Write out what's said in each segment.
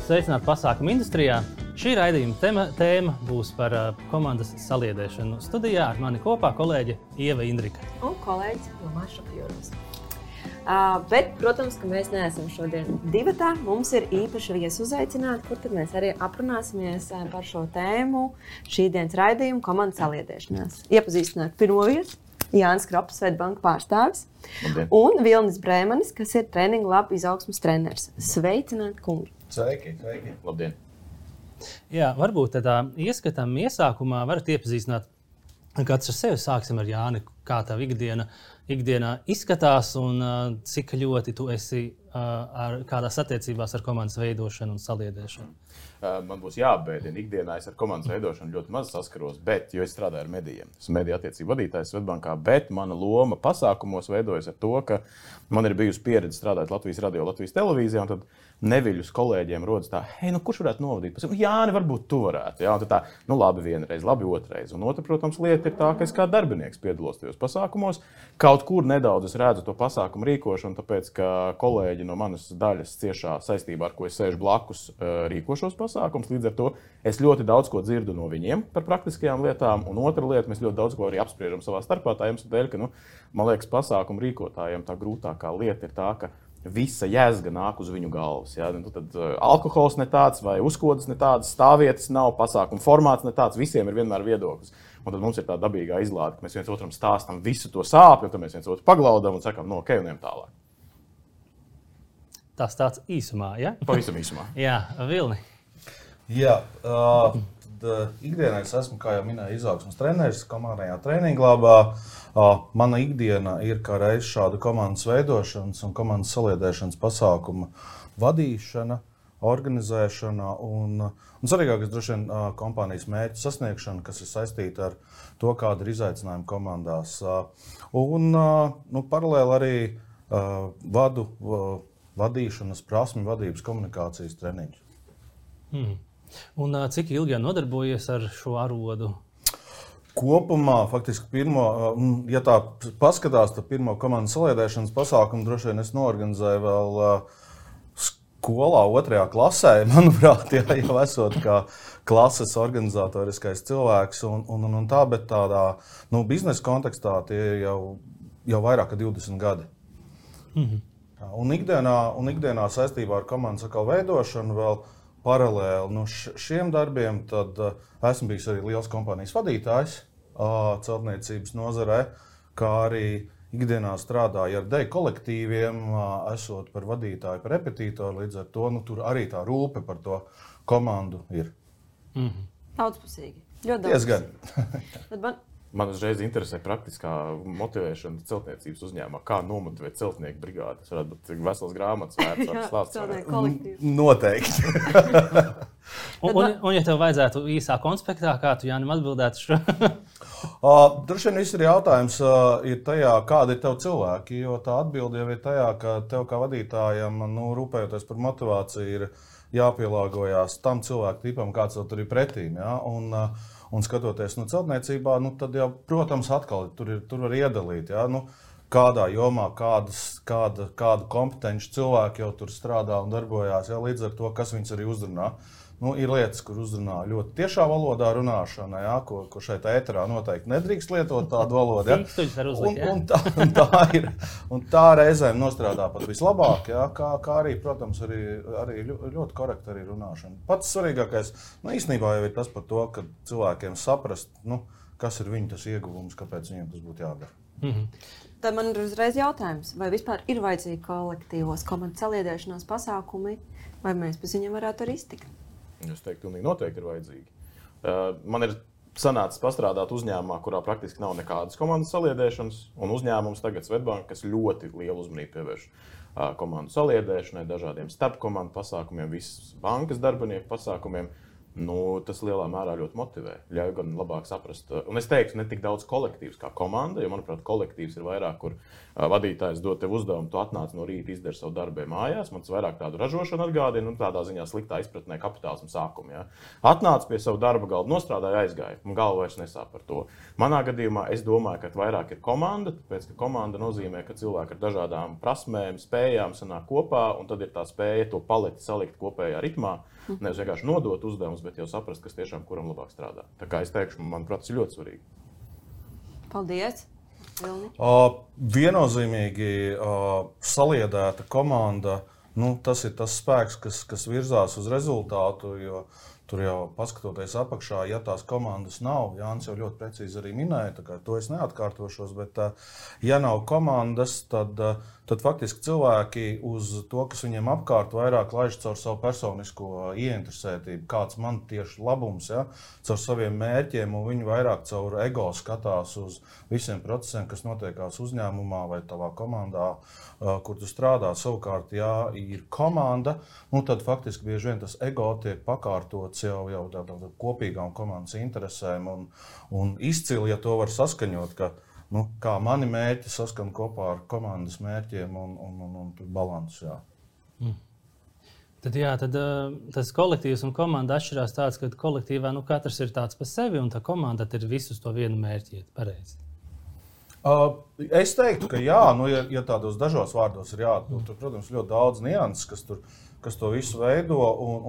Sveicināti pasākumu industrijā. Šī raidījuma tēma būs par komandas saliedēšanu. Studijā ar mani kopā kolēģe Ieva Indrika. Un kolēģis Ilmārs Šapjūros. Bet, protams, ka mēs neesam šodien divatā. Mums ir īpaši viesi uzaicināti, kur tad mēs arī aprunāsimies par šo tēmu šī dienas raidījumu komandas saliedēšanās. Iepazīstināt pirmo vietu. Jānis Krops, Svetbanka pārstāvis. Labdien. Un Vilnis Brēmanis, kas ir Training Lab izaugsmes treneris. Sveicināti, kungi! Sveiki! Labdien! Jā, varbūt tādā ieskatam iesākumā varat iepazīstināt kāds ar sevi. Sāksim ar Jāni, kā tā ikdienā izskatās un cik ļoti tu esi kādās attiecībās ar komandas veidošanu un saliedēšanu. Man būs jāapbēdina. Ikdienā es ar komandas veidošanu ļoti maz saskaros, jo es strādāju ar medijiem. Esmu mediju attiecību vadītājs Svetbankā, bet mana loma pasākumos veidojas ar to, ka man ir bijusi pieredze strādāt Latvijas radio, Latvijas televīzijā, un tad neviļus kolēģiem rodas tā, kurš varētu novadīt? Jāni, varbūt tu varētu. Jā, un tad tā, labi vienreiz, labi otrreiz. Un otra, protams, lieta ir tā, ka es kā darbinieks piedalos tajos pasākumos. Kaut kur nedaudz es redzu to pasākumu rīkošanu, tāpēc, ka kolēģi no manas daļas ciešā saistībā, ar ko es sēžu blakus, rīko šos pasākumus. Līdz ar to es ļoti daudz ko dzirdu no viņiem par praktiskajām lietām. Un otra lieta, mēs ļoti daudz ko arī apspriežam savā starpā. Tā iemesla dēļ, ka, man liekas, pasākumu rīkotājiem tā grūtākā lieta ir tā, ka visa jēzga nāk uz viņu galvas. Ja? Tad alkohols ne tāds, vai uzkodas ne tāds, stāvvietas nav, pasākuma formāts ne tāds, visiem ir vienmēr viedoklis. Un tad mums ir tā dabīgā izlāde, ka mēs viens otram stāstam visu to sāpju, un tad mēs viens otru paglaudam un sakam, ok, un ejam tālāk. Tas tāds īsumā, ja? Pavisam īsumā. Jā, Vilni. Jā, ikdienā es esmu, kā jau minēju, izaugsmes treneris komandajā Training Labā. Mana ikdiena ir kā reiz šāda komandas veidošanas un komandas saliedēšanas pasākuma vadīšana, organizēšana un svarīgākais droši vien kompānijas mērķu sasniegšana, kas ir saistīta ar to, kāda ir izaicinājuma komandās. Paralēli arī vadu vadīšanas prasmi, vadības komunikācijas treniņus. Un cik ilgi jau nodarbojies ar šo arodu? Kopumā, faktiski, ja tā paskatās, tad pirmo komandas saliedēšanas pasākumu droši vien es noorganizēju vēl skolā 2. klasē, manuprāt, jau esot kā klases organizatoriskais cilvēks un tā, bet tādā biznesa kontekstā tie jau vairāk kā 20 gadi. Un ikdienā saistībā ar komandas veidošanu vēl paralēli šiem darbiem, tad esmu bijis arī liels kompānijas vadītājs celtniecības nozarē, kā arī ikdienā strādāju ar deju kolektīviem, esot par vadītāju, par repetītoru, līdz ar to tur arī tā rūpe par to komandu ir. Daudzpusīgi. Ļoti diezgan. Man uzreiz interesē praktiskā motivēšana celtniecības uzņēmumā. Kā nomotivēt celtnieku brigādi? Tas varētu būt vesels grāmatas vērts ar stāsts. Celtnieku kolektīvs. Noteikti. Un ja tev vajadzētu īsā konspektā, kā tu, Jānim, atbildētu šo? Droši vien viss ir jautājums ir tajā, kādi ir tev cilvēki, jo tā atbilde jau ir tajā, ka tev kā vadītājam, rūpējoties par motivāciju, ir jāpielāgojās tam cilvēku tipam, kāds tev tur ir pretīm. Ja? Un skatoties celtniecībā, tad jau, protams, atkal tur var iedalīt, ja? Kādā jomā, kādu kompetenci cilvēki jau tur strādā un darbojās, ja? Līdz ar to, kas viņus arī uzrunā. Ir lietas, kur uzrunā ļoti tiešā valodā runāšana, ja? Ko šeit ēterā noteikti nedrīkst lietot tādu valodu. Ja? Un tā reizēm nostrādā pat vislabāk, ja? Kā arī, protams, arī ļoti korekti arī runāšana. Pats svarīgākais īstenībā jau ir tas par to, ka cilvēkiem saprast, kas ir viņu tas ieguvums, kāpēc viņiem tas būtu jādara. Tad man ir uzreiz jautājums, vai vispār ir vajadzīgi kolektīvos komandas saliedēšanās pasākumi, vai mēs pēc viņiem varētu arī iztikt? Es teiktu, pilnīgi noteikti ir vajadzīgi. Man ir sanācis pastrādāt uzņēmumā, kurā praktiski nav nekādas komandas saliedēšanas, un uzņēmums tagad Svetbanka, kas ļoti lielu uzmanību pievērš komandu saliedēšanai, dažādiem starpkomandu pasākumiem, visas bankas darbinieku pasākumiem. Tas lielā mērā ļoti motivē. Ļauj gan labāk saprast. Un es teiktu, ne tik daudz kolektīvs kā komanda, jo, manuprāt, kolektīvs ir vairāk, kur vadītājs dod tev uzdevumu, tu atnāc no rīta, izdari savu darbu mājās. Man tas vairāk tādu ražošanu atgādina, tādā ziņā sliktā izpratnē kapitālisma sākumu. Ja. Atnāc pie savu darba galda, nostrādāja, aizgāja. Man galva vairs nesāp par to. Manā gadījumā es domāju, ka vairāk ir komanda, tāpēc, ka komanda nozīmē, ka cilvēki ar dažādām prasmēm, spējām sanāk kopā, un tad ir tā spēja to paleti salikt kopējā ritmā. Nevis vienkārši nodot uzdevumus, bet jau saprast, kas tiešām kuram labāk strādā. Tā kā es teikšu, manuprāt, tas ir ļoti svarīgi. Paldies! Viennozīmīgi saliedēta komanda, tas ir tas spēks, kas virzās uz rezultātu, jo tur jau paskatoties apakšā, ja tās komandas nav, Jānis jau ļoti precīzi arī minēja, tā kā to es neatkārtošos, bet ja nav komandas, tad faktiski cilvēki uz to, kas viņiem apkārt vairāk laiž caur savu personisko ieinteresētību, kāds man tieši labums, ja, caur saviem mērķiem, un viņi vairāk caur ego skatās uz visiem procesiem, kas notiekās uzņēmumā vai tavā komandā, kur tu strādā. Savukārt, ja ir komanda, tad faktiski bieži vien tas ego tiek pakārtots jau tādām kopīgām komandas interesēm un izcili, ja to var saskaņot, ka kā mani mērķi saskan kopā ar komandas mērķiem un balansu. Jā. Tad tas kolektīvs un komanda atšķirās tāds, ka kolektīvā katrs ir tāds pa sevi un tā komanda ir visus to vienu mērķi. Pareizi. Es teiktu, ka jā, ja tādos dažos vārdos ir jāatbild, tur, protams, ļoti daudz nianses, kas to visu veido,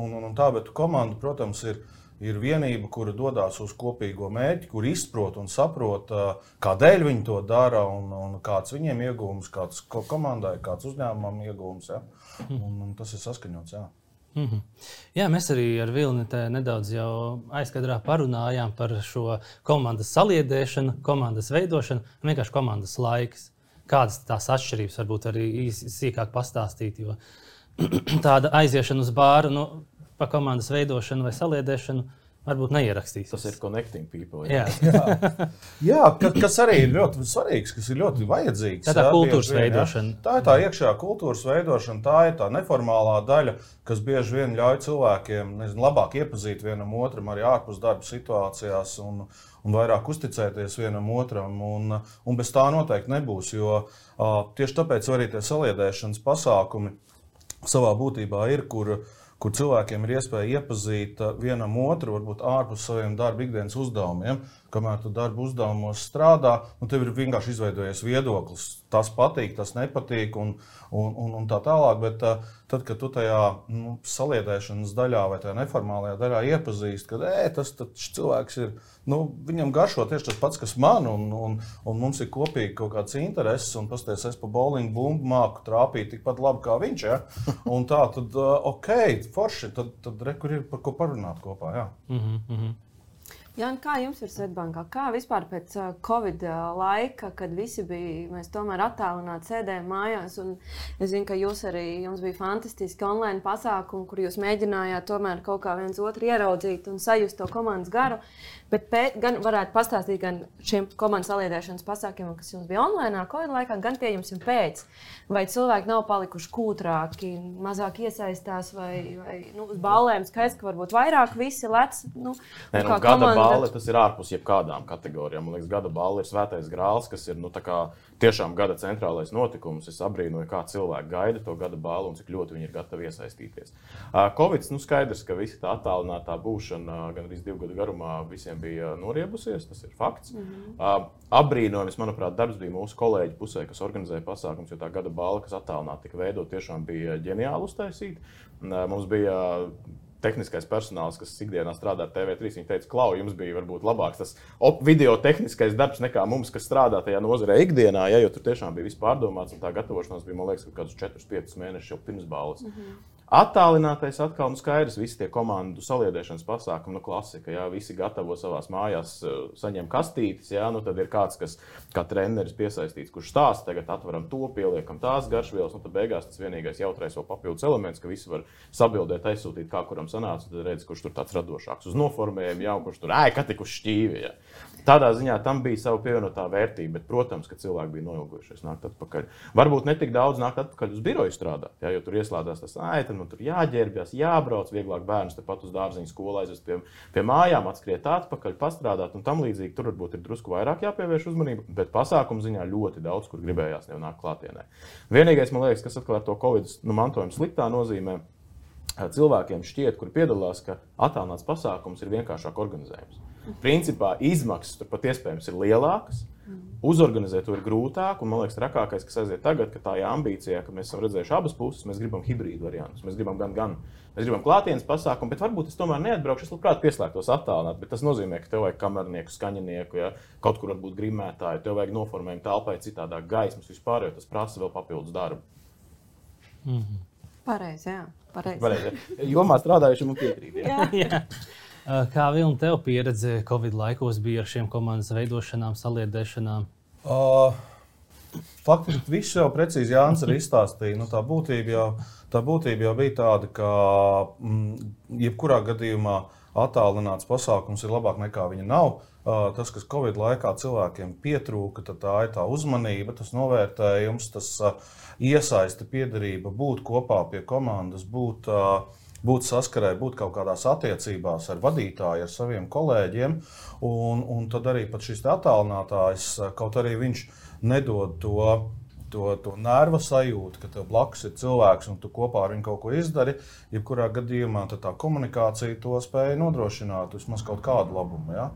un tā, bet komanda, protams, ir vienība, kura dodās uz kopīgo mērķi, kur izprot un saprot, kādēļ viņi to dara un kāds viņiem iegūms, kāds komandai, kāds uzņēmumam iegūms, ja? Un tas ir saskaņots, jā. Jā, mēs arī ar Vilni nedaudz jau aizkadrā parunājām par šo komandas saliedēšanu, komandas veidošanu un vienkārši komandas laiks. Kādas tās atšķirības varbūt arī sīkāk pastāstīt, jo tāda aiziešana uz bāru pa komandas veidošanu vai saliedēšanu varbūt neierakstīs. Tas ir connecting people. Jā, kas arī ir ļoti svarīgs, kas ir ļoti vajadzīgs. Tā kultūras veidošana. Tā ir tā iekšējā kultūras veidošana, tā ir tā neformālā daļa, kas bieži vien ļauj cilvēkiem labāk iepazīt vienam otram arī ārpus darba situācijās un vairāk uzticēties vienam otram. Un bez tā noteikti nebūs, jo tieši tāpēc arī tie saliedēšanas pasākumi savā būtībā ir, kur cilvēkiem ir iespēja iepazīt vienam otru, varbūt ārpus saviem darba ikdienas uzdevumiem. Kamēr tu darba uzdevumos strādā, tev ir vienkārši izveidojies viedoklis. Tas patīk, tas nepatīk un tā tālāk, bet tad, kad tu tajā saliedēšanas daļā vai tajā neformālajā daļā iepazīst, ka tas cilvēks ir, viņam garšo tieši tas pats, kas man, un mums ir kopīgi kaut kāds intereses, un pasties, es pa bowling bumbu māku trāpīt tikpat labi kā viņš, ja? Un tā, tad forši, tad kur ir par ko parunāt kopā, jā. Jāni, kā jums ir Svetbankā? Kā vispār pēc Covid laika, kad visi mēs tomēr attālināti sēdējām mājās, un es zinu, ka jums bija fantastiski online pasākumi, kur jūs mēģinājāt tomēr kaut kā viens otru ieraudzīt un sajust to komandas garu, bet gan varētu pastāstīt gan šiem komandas saliedēšanas pasākumiem, kas jums bija online Covid laikā, gan pie jums un pēc. Vai cilvēki nav palikuši kūtrāki, mazāk iesaistās, vai uz ballēm skaidrs, ka varbūt vairāk visi lec? Gada balli tas ir ārpus jebkādām kategorijām. Man liekas, gada balli ir svētais grāls, kas ir tiešām gada centrālais notikums. Es abrīnoju, kā cilvēki gaida to gada balli un cik ļoti viņi ir gatavi iesaistīties. Covid, skaidrs, ka visi tā attālinātā būšana gan arī 2 gadu garumā visiem bija noriebusies, tas ir fakts. Abrīnojums, manuprāt, darbs bija mūsu kolēģi pusē, kas organizēja pasākums, jo tā gada balva, kas attālināti tika veidot, tiešām bija ģeniāli uztaisīta. Mums bija tehniskais personāls, kas ikdienā strādā ar TV3, viņi teica, Klau, jums bija varbūt labāks tas video tehniskais darbs nekā mums, kas strādā tajā nozarē ikdienā, jo tur tiešām bija viss pārdomāts, un tā gatavošanās bija, man liekas, kādus 4-5 mēnešus jau pirms balvas. Attālinātais atkal skaidrs, visi tie komandu saliedēšanas pasākumi, klasika, jā, visi gatavo savās mājās, saņem kastītes, jā, tad ir kāds, kas kā treneris piesaistīts, kurš stāsta, tagad atveram to, pieliekam tās garšvielas, tad beigās tas vienīgais jautrais vēl papildus elements, ka visi var sabildēt, aizsūtīt, kā kuram sanāca, tad redz, kurš tur tāds radošāks uz noformējumu, jā, un kurš tur, ka tik uz šķīvi, jā. Tādā ziņā tam bija sava pievienotā vērtība, bet, protams, ka cilvēki bija noilgojušies nākt atpakaļ. Varbūt ne tik daudz nākt atpakaļ uz biroju strādāt, jā, jo tur ieslēdzās tas, tad man tur jāģērbjas, jābrauc, vieglāk bērnus tepat uz dārziņu skolu aizvest pie mājām, atskriet atpakaļ, pastrādāt un tam līdzīgi. Tur varbūt ir drusku vairāk jāpievērš uzmanība, bet pasākumu ziņā ļoti daudz, kur gribējās jau nākt klātienē. Vienīgais, man liekas, kas atkal ar to Covid mantojumu sliktā nozīmē, cilvēkiem šķiet, kuri piedalās, ka attālināts pasākums ir vienkāršāk organizējums. Principā izmaksas tur pat iespējams ir lielākas, uzorganizēt to ir grūtāk, un man liekas, trakākais, kas aiziet tagad, ka tā ir ambīcija, ka mēs esam redzējuši abas puses, mēs gribam hibrīdu variantus, mēs gribam mēs gribam klātienes pasākumu, bet varbūt es tomēr neatbraukšu, es labprāt pieslēgtos attālināt, bet tas nozīmē, ka tev vajag kamernieku, skaņinieku, ja, kaut kur varbūt grimētāju, tev vajag noformējumu telpai citādāk gaismas vispār, jo tas prasa vēl papildus darbu. Pareizi, jā. Pareizi. Jomā strādājušiem un piekrīt. Jā. Kā Vilni tev pieredze Covid laikos bija ar šiem komandas veidošanām, saliedēšanām? Faktiski viss jau precīzi Jānis arī izstāstīja. Tā būtība jau bija tāda, ka jebkurā gadījumā attālināts pasākums ir labāk nekā viņa nav. Tas, kas Covid laikā cilvēkiem pietrūka, tā ir tā uzmanība, tas novērtējums, tas iesaiste, piederība, būt kopā pie komandas, būt saskarē, būt kaut kādās attiecībās ar vadītāju, ar saviem kolēģiem. Un tad arī pat šis attālinātājs, kaut arī viņš nedod to nerva sajūtu, ka tev blakus ir cilvēks un tu kopā ar viņu kaut ko izdari, jebkurā gadījumā tā komunikācija to spēja nodrošināt vismaz kaut kādu labumu. Ja?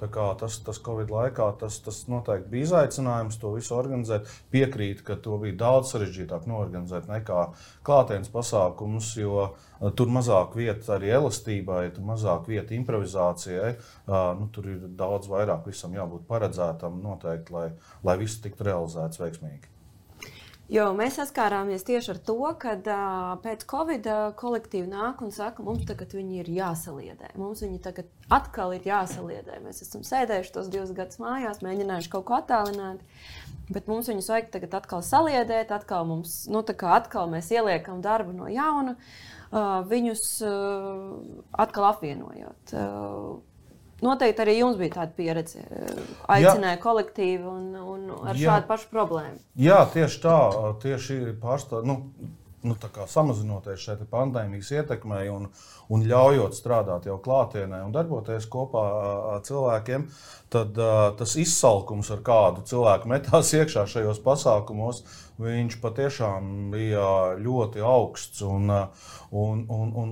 Tā kā tas Covid laikā tas noteikti bija izaicinājums to visu organizēt. Piekrīt, ka to bija daudz sarežģītāk noorganizēt nekā klātienes pasākumus, jo tur mazāk vieta arī elastībai, tur mazāk vieta improvizācijai. Tur ir daudz vairāk visam jābūt paredzētam noteikti, lai viss tiktu realizēts veiksmīgi. Jo mēs saskārāmies tieši ar to, ka pēc Covid kolektīvi nāk un saka, mums tagad viņi ir jāsaliedē. Mums viņi tagad atkal ir jāsaliedē. Mēs esam sēdējuši tos 2 gadus mājās, mēģinājuši kaut ko attālināt, bet mums viņus vajag tagad atkal saliedēt, atkal mēs ieliekam darbu no jauna, viņus atkal apvienojot. Noteikti arī jums bija tāda pieredze, aicināja kolektīvu un ar šādu pašu problēmu. Jā, tieši tā, tā kā samazinoties šeit pandēmijas ietekmei un ļaujot strādāt jau klātienē un darboties kopā ar cilvēkiem, tad tas izsalkums, ar kādu cilvēku metās iekšā šajos pasākumos, viņš patiešām bija ļoti augsts. Un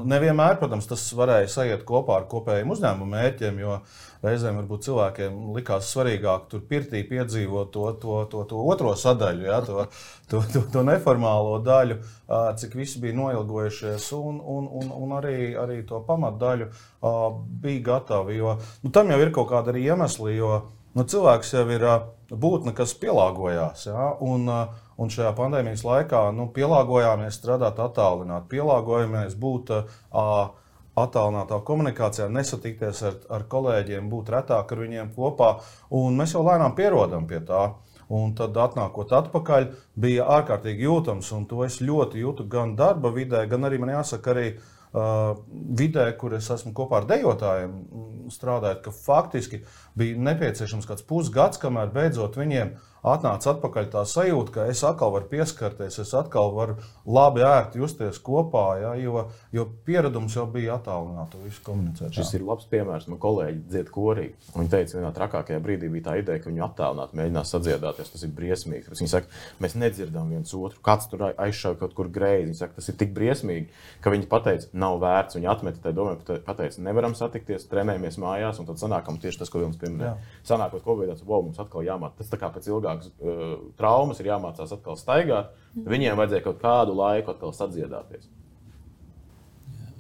nevienmēr, protams, tas varēja sajiet kopā ar kopējiem uzņēmumu mērķiem, jo reizēm varbūt cilvēkiem likās svarīgāk tur pirtī piedzīvot to otro sadaļu, ja, to neformālo daļu, cik visi bija noilgojušies, un arī to pamatdaļu bija gatavi. Jo tam jau ir kaut kāda arī iemesli, jo cilvēks jau ir būtne, kas pielāgojās. Ja, un šajā pandēmijas laikā pielāgojāmies strādāt attālināt, pielāgojamies būt attālinātā komunikācijā, nesatikties ar kolēģiem, būt retāk ar viņiem kopā, un mēs jau lēnām pierodam pie tā. Un tad atnākot atpakaļ bija ārkārtīgi jūtams, un to es ļoti jūtu gan darba vidē, gan arī man jāsaka arī vidē, kur es esmu kopā ar dejotājiem strādājot, ka faktiski bija nepieciešams kāds pusgads, kamēr beidzot viņiem atnāca atpakaļ tā sajūta, ka es atkal varu pieskarties, es atkal varu labi ērti justies kopā, ja, jo pieredums jau bija attālināt to visu komunicēt. Šis ir labs piemērs. Man kolēģi dzied korī. Viņi teica, vienā trakākajā brīdī bija tā ideja, ka viņu attālināt, mēģinās sadziedāties. Tas ir briesmīgi. Viņi saka, mēs nedzirdam viens otru. Kāds tur aizšauj kaut kur greizi. Viņi saka, tas ir tik briesmīgi, ka viņi pateica, nav vērts. Viņi atmeta tai domē, pateica, nevaram satikties, trenējamies mājās, un tad sanākam tieši tas, ko Vilnis pieminēja. Sanākot Covid, mums atkal jāmāc. Tas tā kā pēc traumas ir jāmācās atkal staigāt, viņiem vajadzēja kaut kādu laiku atkal sadziedāties.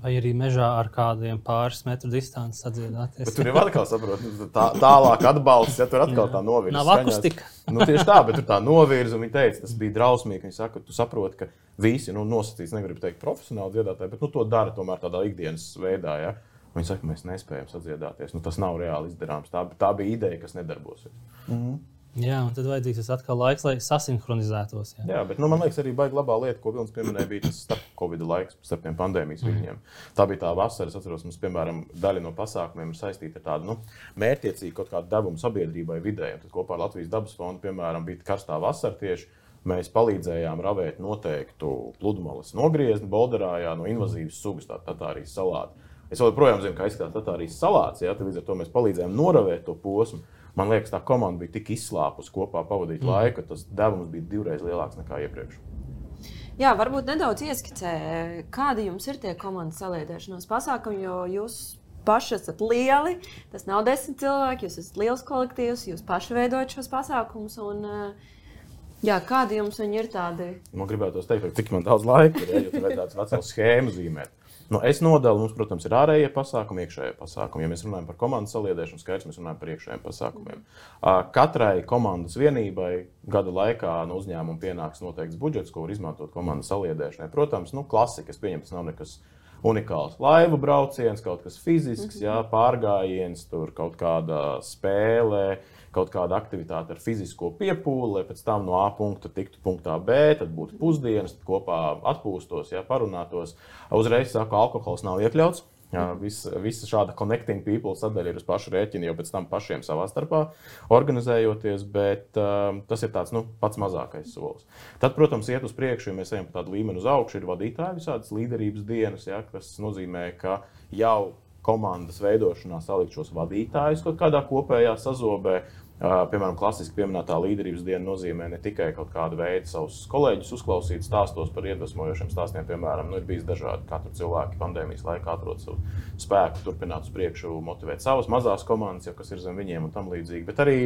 Vai arī mežā ar kādiem pāris metru distanci sadziedāties. Bet tur jau atkal saprot, tālāk atbalsts, ja tur atkal tā novirza. Nav akustika. Tieši tā, bet tur tā novirza, un viņi teica, tas bija drausmīgi. Viņi saka, tu saproti, ka visi nosacīts, negribu teikt profesionāli dziedātāji, bet to dara tomēr tādā ikdienas veidā, ja. Viņi saka, mēs nespējam sadziedāties. Tas nav reāli izdarāms. Tā bija ideja, kas nedarbosies. Jā, un tad vajadzīgs atkal laiks, lai sasinhronizētos. Jā, bet man liekas, arī baigi labā lieta, ko Vilnis pieminēja, bija tas starp Covid laiks, starp tiem pandēmijas viļņiem. Tā bija tā vasara, es atceros, mums, piemēram, daļa no pasākumiem ir saistīta ar tādu mērķtiecīgu kaut kādu devumu sabiedrībai, vidē. Tad kopā ar Latvijas dabas fondu, piemēram, bija karstā vasara tieši. Mēs palīdzējām ravēt noteiktu pludmales nogriezni Bolderā, no invazīvas sugas, tā Tatārijas salāti. Es joprojām zinu, kā izskatās Tatārijas salāts, tad līdz ar to mēs palīdzējām noravēt to posmu. Man liekas, tā komanda bija tik izslāpusi kopā pavadīt laiku, ka tas devums bija 2 reizes lielāks nekā iepriekš. Jā, varbūt nedaudz ieskicē, kādi jums ir tie komandas saliedēšanās pasākumi, jo jūs paši esat lieli, tas nav 10 cilvēki, jūs esat liels kolektīvs, jūs paši veidojat šos pasākumus. Kādi jums viņi ir tādi? Man gribētos teikt, cik man daudz laika ir, jo tur vajadzētu veselu schēmu zīmēt. Es nodalu, mums, protams, ir ārējie pasākumi, iekšējie pasākumi. Ja mēs runājam par komandas saliedēšanu, skaidrs, mēs runājam par iekšējiem pasākumiem. Katrai komandas vienībai gada laikā no uzņēmuma pienāks noteikts budžets, ko var izmantot komandas saliedēšanai. Protams, klasika, es pieņemu, tas nav nekas unikāls. Laivu brauciens, kaut kas fizisks, pārgājiens, tur kaut kāda spēle, kaut kāda aktivitāte ar fizisko piepūli, lai pēc tam no A punkta tiktu punktā B, tad būtu pusdienas, tad kopā atpūstos, parunātos. Uzreiz saku, alkohols nav iekļauts. Visa šāda connecting people sadaļa ir uz pašu rēķinu, jau pēc tam pašiem savā starpā organizējoties, bet tas ir tāds pats mazākais solis. Tad, protams, iet uz priekšu, ja mēs ejam pa tādu līmeni uz augšu, ir vadītāji visādas līderības dienas, kas nozīmē, ka jau komandas veidošanā salikt šos vadītājus kaut kādā kopējā sazobē. Piemēram, klasiski pieminētā līderības diena nozīmē ne tikai kaut kādu veidu savus kolēģus uzklausīt stāstos par iedvesmojošiem stāstiem, piemēram, ir bijis dažādi, kā tur cilvēki pandēmijas laikā atrod savu spēku, turpināt uz priekšu, motivēt savas mazās komandas, kas ir zem viņiem un tam līdzīgi, bet arī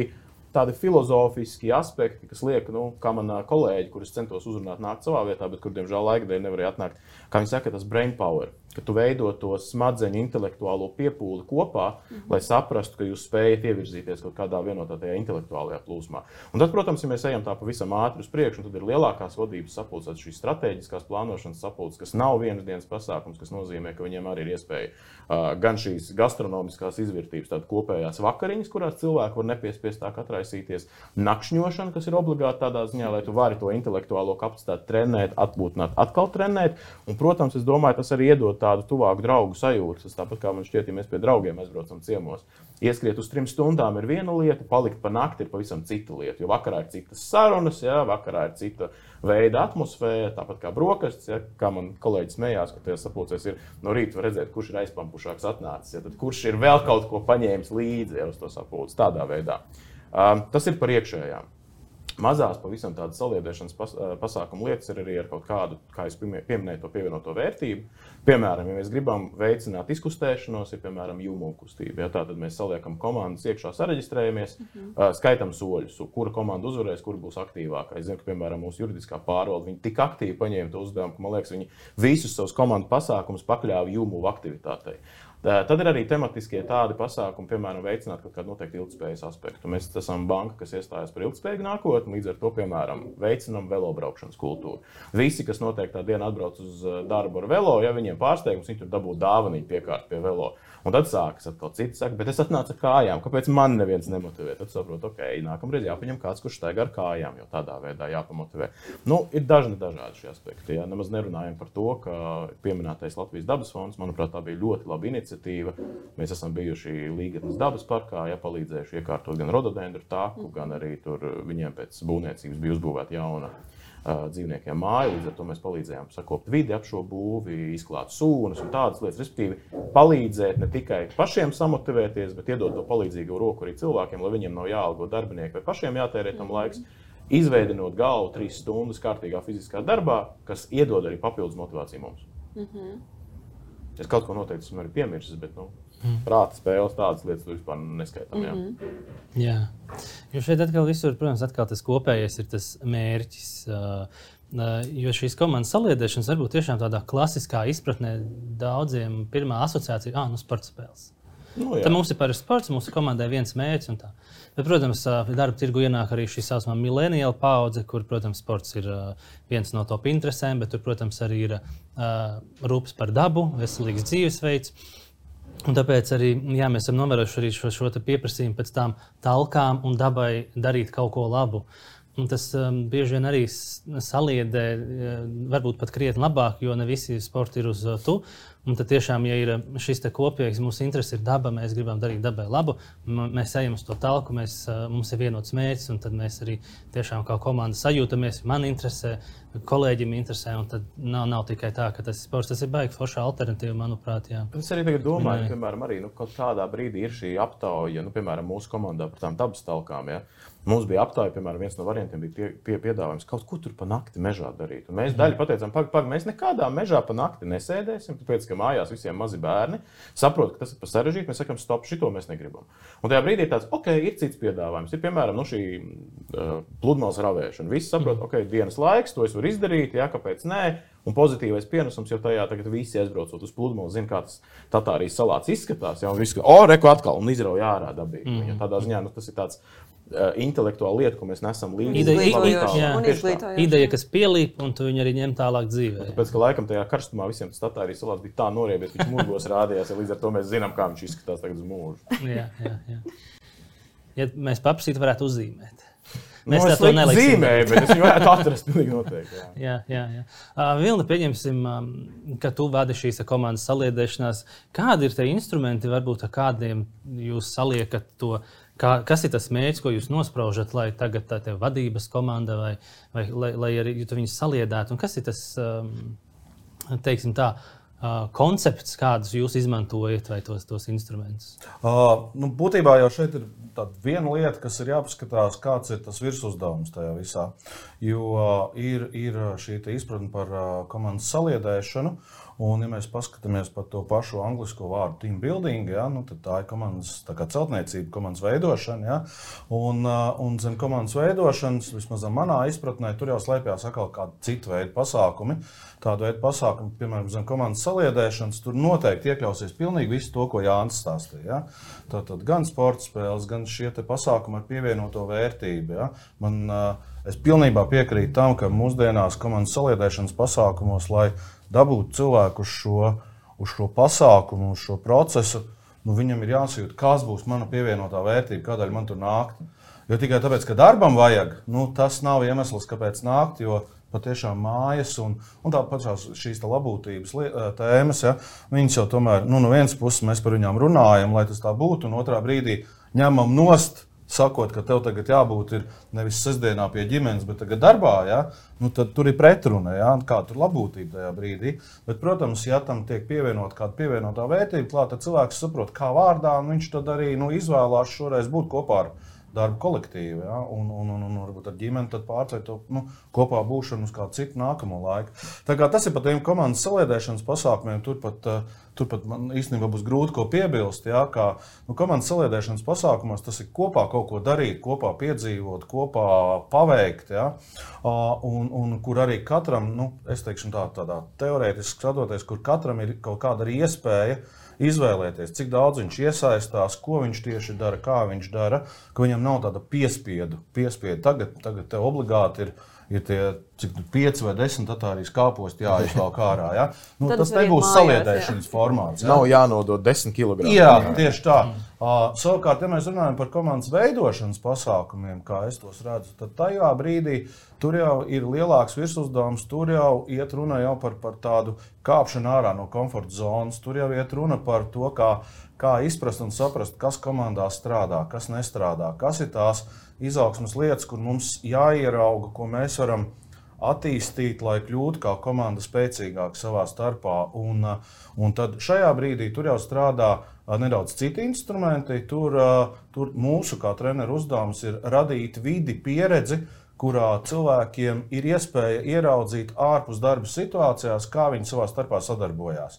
tādi filozofiski aspekti, kas liek, kā man kolēģi, kurus centos uzrunāt, nākt savā vietā, bet kur, diemžēl, laika dēļ nevarēja atnākt, kā viņi saka, tas brain power, ka tu veido to smadzeņu intelektuālo piepūli kopā, lai saprastu, ka jūs spējat ievirzīties kaut kādā vienotā tajā intelektuālajā plūsmā. Un tad, protams, ja mēs ejam tā pavisam ātri uz priekšu, tad ir lielākās vadības sapulces, šīs strateģiskās plānošanas sapulces, kas nav vienas dienas pasākums, kas nozīmē, ka viņiem arī ir iespēja gan šīs gastronomiskās izvērtības, tādas kopējās vakariņas, kurās cilvēki var nepiespiestāk atraisīties, nakšņošana, kas ir obligāti tādā ziņā, lai tu vari to intelektuālo kapacitāti trenēt, atpūtināt, atkal trenēt. Un, protams, es domāju, tas arī iedod tādu tuvāku draugu sajūtu. Tas tāpat kā man šķiet, ja mēs pie draugiem aizbraucam ciemos. Ieskriet uz 3 stundām ir viena lieta, palikt pa nakti ir pavisam cita lieta. Jo vakarā ir citas sarunas, vakarā ir cita veida atmosfēra, tāpat kā brokastis, kā man kolēģis smējās, ka tajā sapulcēs ir no rīta var redzēt, kurš ir aizpampušāks atnācis, tad kurš ir vēl kaut ko paņēmis līdzi uz to sapulci tādā veidā. Tas ir par iekšējām. Mazās, pavisam tādas saliedēšanas pasākumu lietas ir arī ar kaut kādu, kā es pieminēju, to pievienoto vērtību. Piemēram, ja mēs gribam veicināt izkustēšanos, ir piemēram jūmu kustība. Tātad mēs saliekam komandas iekšā, sareģistrējamies, skaitam soļus, kura komanda uzvarēs, kura būs aktīvākā. Es zinu, ka, piemēram, mūsu juridiskā pārvalde, viņi tik aktīvi paņēma to uzdevumu, ka, man liekas, viņi visus savus komandu pasākumus pakļāva jūmu aktivitātei. Tad ir arī tematiskie tādi pasākumi, piemēram, veicināt kaut kādu noteikti ilgtspējas aspektu. Mēs esam banka, kas iestājas par ilgtspējīgu nākotni, līdz ar to, piemēram, veicinam velobraukšanas kultūru. Visi, kas noteiktā dienā atbrauc uz darbu ar velo, ja viņiem pārsteigums, viņi tur dabū dāvaniņu piekārt pie velo. Un tad sākas atkal citi saka, bet es atnācu ar kājām, kāpēc man neviens nemotivē? Tad saprotu, nākamreiz jāpaņem kāds, kurš staigā ar kājām, jo tādā veidā jāpamotivē. Ir dažādi šie aspekti. Nemaz nerunājam par to, ka pieminētais Latvijas dabas fonds, manuprāt, tā bija ļoti laba iniciatīva. Mēs esam bijuši Līgatnes dabas parkā, palīdzējuši iekārtot gan rododendru taku, gan arī tur viņiem pēc būvniecības bija uzbūvēta jauna dzīvniekiem māja, līdz ar to mēs palīdzējām sakopt vidi ap šo būvi, izklāt sūnas un tādas lietas, respektīvi palīdzēt ne tikai pašiem samotivēties, bet iedot to palīdzīgo roku arī cilvēkiem, lai viņiem nav jāalgo darbinieki vai pašiem jātērē tam laiks, izveidinot galvu 3 stundas kārtīgā fiziskā darbā, kas iedod arī papildus motivāciju mums. Es kaut ko noteikti esmu arī piemirsis, bet prāta spēles tādas lietas vispār neskaitām. Jā. Jo šeit atkal visur, protams, tas kopējais ir tas mērķis. Jo šīs komandas saliedēšanas varbūt tiešām tādā klasiskā izpratnē daudziem pirmā asociācija sporta spēles. Tad mums ir parasti sports, mūsu komandai viens mērķis un tā. Bet, protams, darba tirgu ienāk arī šī saucamā millennial paudze, kur, protams, sports ir viens no top interesēm, bet tur, protams, arī ir rūpes par dabu, veselīgs dzīvesveids. Un tāpēc arī mēs esam novērojuši arī šo pieprasījumu pēc tām talkām un dabai darīt kaut ko labu. Un tas bieži vien arī saliedē, varbūt pat krietni labāk, jo ne visi sporti ir uz tu. Un tad tiešām, ja ir šis kopīgs, mūsu interese ir daba, mēs gribam darīt dabai labu, mēs ejam uz to talku, mums ir vienots mērķis, un tad mēs arī tiešām kā komanda sajūtamies, man interesē, kolēģim interesē, un tad nav tikai tā, ka tas sports, tas ir baigi forša alternatīva, manuprāt, jā. Es arī tagad domāju, piemēram, arī kaut kādā brīdī ir šī aptauja, piemēram, mūsu komandā par tām dabas talkām, ja. Mums bija aptāja, piemēram, viens no variantiem bija piedāvājums kaut ko tur pa nakti mežā darīt. Un mēs daļu pateicām, mēs nekādā mežā pa nakti nesēdēsim, tāpēc, ka mājās visiem mazi bērni saprot, ka tas ir pa sarežģīti, mēs sakam, stop, šito mēs negribam. Un tajā brīdī ir tāds, ir cits piedāvājums. Ir, piemēram, šī pludmales ravēšana. Visi saprot, dienas laiks, to es varu izdarīt, jā, kāpēc nē. Un pozitīvais pienesums jau tajā, tagad visi aizbraucot uz pludmali, zina, kā tas Tatārijas salāts izskatās, ja, un visi, reku atkal, un izrauj ārā dabīgi. Ja, tādā ziņā, tas ir tāds intelektuāla lieta, ko mēs nesam līdzi. Ideja, kas pielīp, un tu viņu arī ņem tālāk dzīvē. Tāpēc, ka laikam tajā karstumā visiem tas Tatārijas salāts bija tā noriebies, viņš murgos rādījās, ja līdz ar to mēs zinām, kā viņš izskatās tagad uz mūžu. Jā. Ja mēs paprasītu, varētu uzzīmēt. Mēs to neliksim, bet es viņu varētu atrast pilnīgi noteikti. Jā. Vilni, pieņemsim, ka tu vadi šīs komandas saliedēšanās. Kādi ir tie instrumenti, varbūt ar kādiem jūs saliekat to, kas ir tas mērķis, ko jūs nospraužat, lai tagad tā te vadības komanda vai lai arī tu viņus saliedētu? Un kas ir tas, teiksim tā, koncepts, kādus jūs izmantojat vai tos instrumentus? Būtībā jau šeit ir tāda viena lieta, kas ir jāpaskatās, kāds ir tas virsuzdevums tajā visā. Jo ir šī izpratne par komandas saliedēšanu, un ja mēs paskatāmies par to pašu anglisko vārdu team building, ja, tad tā ir komandas celtniecība, komandas veidošana. Ja, un zem komandas veidošanas, vismaz manā izpratnē, tur jau slēpjas atkal kādi citu veidu pasākumi. Tādu veidu pasākumi, piemēram, zem komandas saliedēšanas, tur noteikti iekļausies pilnīgi visu to, ko Jānis stāstīja. Ja. Tātad gan sporta spēles, gan šie te pasākumi ar pievienoto vērtību. Ja. Es pilnībā piekrītu tam, ka mūsdienās komandas saliedēšanas pasākumos, lai dabūtu cilvēku uz šo pasākumu, uz šo procesu, viņam ir jāsajūt, kas būs mana pievienotā vērtība, kādēļ man tur nākt. Jo tikai tāpēc, ka darbam vajag, tas nav iemesls, kāpēc nākt, jo patiešām mājas un tāpat šīs labūtības tēmas, ja, viņas jau tomēr, no vienas puses mēs par viņām runājam, lai tas tā būtu, un otrā brīdī ņemam nost, sakot, ka tev tagad jābūt ir nevis sestdienā pie ģimenes, bet tagad darbā, ja, tad tur ir pretruna, ja, kā tur labūtība tajā brīdī. Bet, protams, ja tam tiek pievienot kāda pievienotā vērtība klāt, tad cilvēks saprot, kā vārdā, un viņš tad arī izvēlās šoreiz būt kopā ar darba kolektīvu, ja, un varbūt ar ģimeni tad pārcēt to kopā būšanu uz kādu citu nākamo laiku. Tā kā tas ir par tiem komandas saliedēšanas pasākumiem, turpat man īstenībā būs grūti ko piebilst, ja, kā komandas saliedēšanas pasākumos tas ir kopā kaut ko darīt, kopā piedzīvot, kopā paveikt, ja, un kur arī katram, es teikšu tādā teorētiski skatoties, kur katram ir kaut kāda arī iespēja izvēlēties, cik daudz viņš iesaistās, ko viņš tieši dara, kā viņš dara, ka viņam nav tāda piespiedu. Tagad tev obligāti ir tie, cik 5 vai 10 Tatārijas kāposti jāizvelk ārā. Ja? Tas nebūs saliedēšanas formāts. Ja? Nav jānodod 10 kg. Jā, tieši tā. Savukārt, ja mēs runājam par komandas veidošanas pasākumiem, kā es tos redzu, tad tajā brīdī tur jau ir lielāks virsuzdevums, tur jau iet runa jau par tādu kāpšanu ārā no komforta zonas, tur jau iet runa par to, kā izprast un saprast, kas komandā strādā, kas nestrādā, kas ir tās izaugsmes lietas, kur mums jāierauga, ko mēs varam attīstīt, lai kļūtu kā komanda spēcīgāk savā starpā. Un tad šajā brīdī tur jau strādā nedaudz citi instrumenti. Tur mūsu kā treneru uzdevums ir radīt vidi, pieredzi, kurā cilvēkiem ir iespēja ieraudzīt ārpus darba situācijās, kā viņi savā starpā sadarbojās.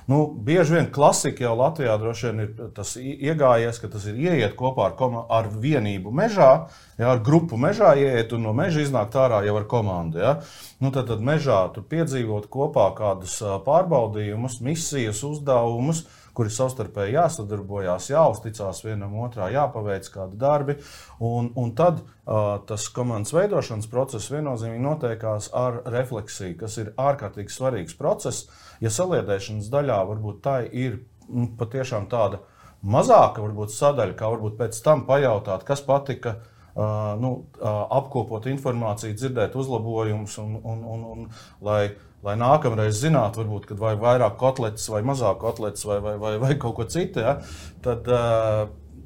Bieži vien klasika jau Latvijā droši vien ir tas iegājies, ka tas ir ieiet kopā ar vienību mežā, ja, ar grupu mežā ieiet un no meža iznākt ārā jau ar komandu. Ja. Tad mežā tur piedzīvot kopā kādus pārbaudījumus, misijas, uzdevumus, kuri savstarpēji jāsadarbojās, jāuzticās vienam otrā, jāpaveic kādi darbi. Un tad tas komandas veidošanas process viennozīmīgi notiekās ar refleksiju, kas ir ārkārtīgi svarīgs process. Ja saliedēšanas daļā varbūt tā ir patiešām tāda mazāka varbūt sadaļa, kā varbūt pēc tam pajautāt, kas patika apkopot informāciju, dzirdēt uzlabojumus un lai nākamreiz zinātu, varbūt, kad vai vairāk kotletes vai mazāk kotletes vai kaut ko citu, ja, tad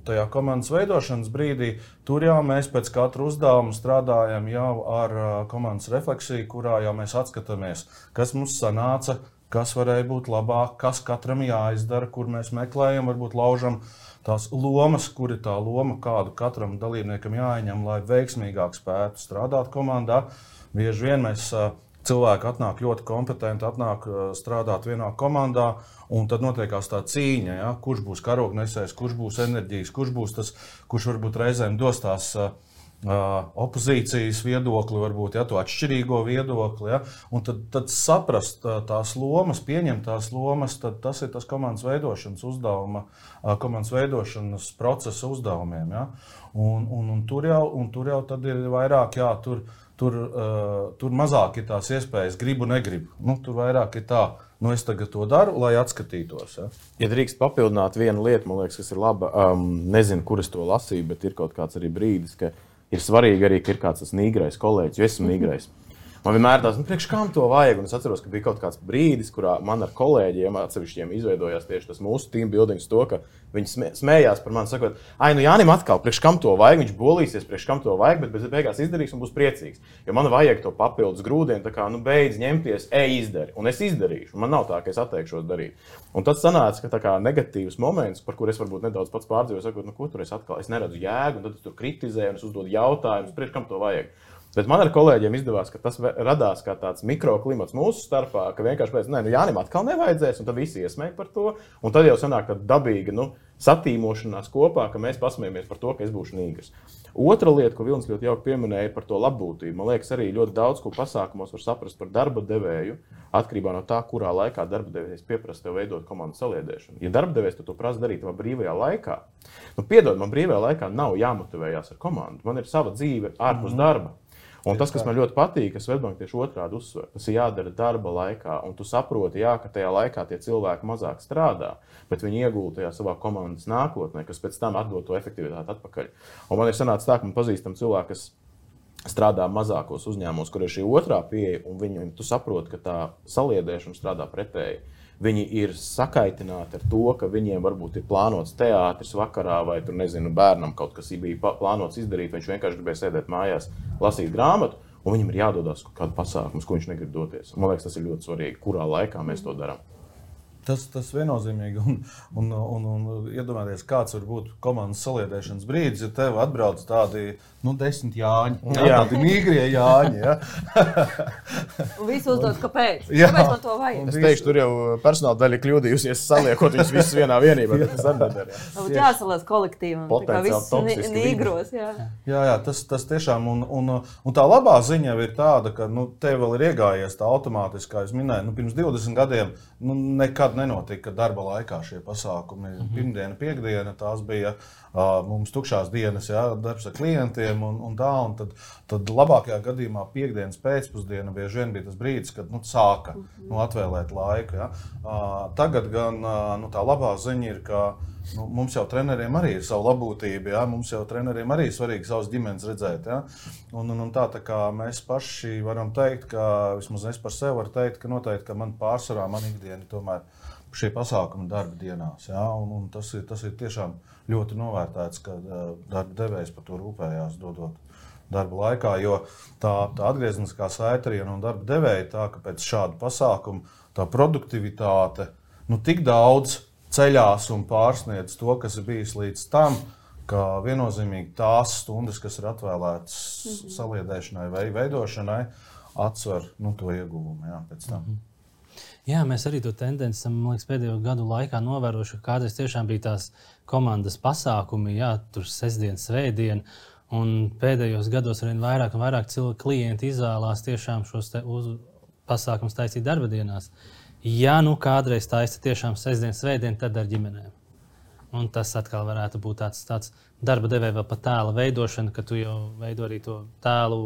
tajā komandas veidošanas brīdī tur jau mēs pēc katra uzdevuma strādājam jau ar komandas refleksiju, kurā jau mēs atskatāmies, kas mums sanāca, kas varēja būt labāk, kas katram jāizdara, kur mēs meklējam, varbūt laužam tās lomas, kur ir tā loma, kādu katram dalībniekam jāieņem, lai veiksmīgāk spētu strādāt komandā. Bieži vien mēs cilvēki atnāk ļoti kompetenti, atnāk strādāt vienā komandā, un tad notiekās tā cīņa, ja? Kurš būs karognesējs, kurš būs enerģijas, kurš būs tas, kurš varbūt reizēm dos tās opozīcijas viedokli, varbūt to atšķirīgo viedokli. Ja? Un tad saprast tās lomas, pieņemt tās lomas, tad tas ir tas komandas veidošanas uzdevuma, komandas veidošanas procesa uzdevumiem. Ja? Un tur jau tad ir vairāk, jā, tur mazāk ir tās iespējas, gribu, negribu. Tur vairāk ir tā, es tagad to daru, lai atskatītos. Ja, ja drīkst papildināt vienu lietu, man liekas, kas ir laba, nezinu, kur es to lasīju, bet ir kaut kāds arī brīdis, ka ir svarīgi arī, ka ir kāds tas nīgrais kolēģis, jo esmu nīgrais. Man vienmēr tās, priekš kam to vajag, un es atceros, ka bija kaut kāds brīdis, kurā man ar kolēģiem atsevišķiem izveidojās tieši tas mūsu team buildings to, ka viņi smējās par mani, sakot, Jānim atkal, priekš kam to vajag, viņš bolīsies, priekš kam to vajag, bet beigās izdarīs un būs priecīgs. Jo man vajag to papildus grūdienu, tā kā, beidz ņemties, izdari, un es izdarīšu, un man nav tā, ka es atteikšos darīt. Un tad sanāca, ka tā kā negatīvs moments, par kur es varbūt nedaudz pats pārdzīvoju, sakot, ko tur es atkal, es neredzu jēgu, un tad es tur kritizēju, un es uzdodu jautājumus, priekš kam to vajag. Bet man ar kolēģiem izdevās, ka tas radās kā tāds mikroklimats mūsu starpā, ka vienkārši pēc, Jānim atkal nevajadzēs, un tad visi iesmēja par to, un tad jau sanāk tāda dabīga, satīmošanās kopā, ka mēs pasmējamies par to, ka es būšu nīgrs. Otra lieta, ko Vilnis ļoti jauki pieminēja, ir par to labbūtību. Man liekas, arī ļoti daudz, ko pasākumos var saprast par darba devēju, atkarībā no tā, kurā laikā darba devējs pieprasa tev veidot komandas saliedēšanu. Ja darba devējs to prasa darīt tavā brīvajā laikā, piedod, man brīvajā laikā nav jāmotivējās ar komandu. Man ir sava dzīve ārpus darba. Un tas, kas man ļoti patīk, ka Swedbank tieši otrādi uzsver, tas ir jādara darba laikā, un tu saproti, ka tajā laikā tie cilvēki mazāk strādā, bet viņi iegulda tajā savā komandas nākotnē, kas pēc tam atdod to efektivitāti atpakaļ. Un man ir sanācis tā, ka man pazīstam cilvēki, kas strādā mazākos uzņēmumos, kur ir šī otrā pieeja, un tu saproti, ka tā saliedēšana strādā pretēji. Viņi ir sakaitināti ar to, ka viņiem varbūt ir plānots teātris vakarā, vai tur, nezinu, bērnam kaut kas bija plānots izdarīt, viņš vienkārši gribēja sēdēt mājās, lasīt grāmatu, un viņam ir jādodās kaut kādu pasākumus, ko viņš negrib doties. Man liekas, tas ir ļoti svarīgi, kurā laikā mēs to darām. Tas viennozīmīgi, un iedomājieties, kāds var būt komandas saliedēšanas brīdis, ja tev atbrauc tādi 10 Jāņi, tādi mīgrie Jāņi. Ja? Un visi uzdod, kāpēc? Kāpēc man to vajag? Es teikšu, tur jau personāla daļa kļūdījusies saliekot viņus visus vienā vienībā, bet tas arī nedara. Jāsalās kolektīvam, tā visi nīgros. Jā, tas tiešām, un tā labā ziņa ir tāda, ka tev vēl ir iegājies tā automātiski, kā es minēju, pirms 20 gadiem nekad nenotika darba laikā šie pasākumi. Pirmdiena, piekdiena, tās bija mums tukšās dienas, darbs ar klientiem un tad labākajā gadījumā piekdienas pēcpusdiena bieži vien bija tas brīdis, kad sāka atvēlēt laiku. Ja. Tagad gan tā labā ziņa ir, ka mums jau treneriem arī ir savu labbūtību, mums jau treneriem arī ir svarīgi savas ģimenes redzēt. Ja. Un tā kā mēs paši varam teikt, ka vismaz es par sevi varu teikt, ka noteikti, ka man pārsvarā, man ikdiena tomēr šie pasākumi darba dienās. Ja, un tas ir tiešām ļoti novērtēts, ka darba devējs par to rūpējās dodot darba laikā, jo tā atgriezniskā saite arī no darba devēja tā, ka pēc šāda pasākuma tā produktivitāte tik daudz ceļās un pārsniedz to, kas ir bijis līdz tam, ka viennozīmīgi tās stundas, kas ir atvēlētas saliedēšanai vai veidošanai, atsver to ieguvumu pēc tam. Jā, mēs arī to tendenci esam, man liekas, pēdējo gadu laikā novērojuši, ka kādreiz tiešām bija tās komandas pasākumi, tur sestdien, svētdien, un pēdējos gados arvien vairāk un vairāk klienti izvēlās tiešām šos pasākumus taisīt darba dienās. Ja kādreiz taisa tiešām sestdien, svētdien, tad ar ģimenēm. Un tas atkal varētu būt tāds darba devēja vēl pa tēla veidošana, ka tu jau veido arī to tēlu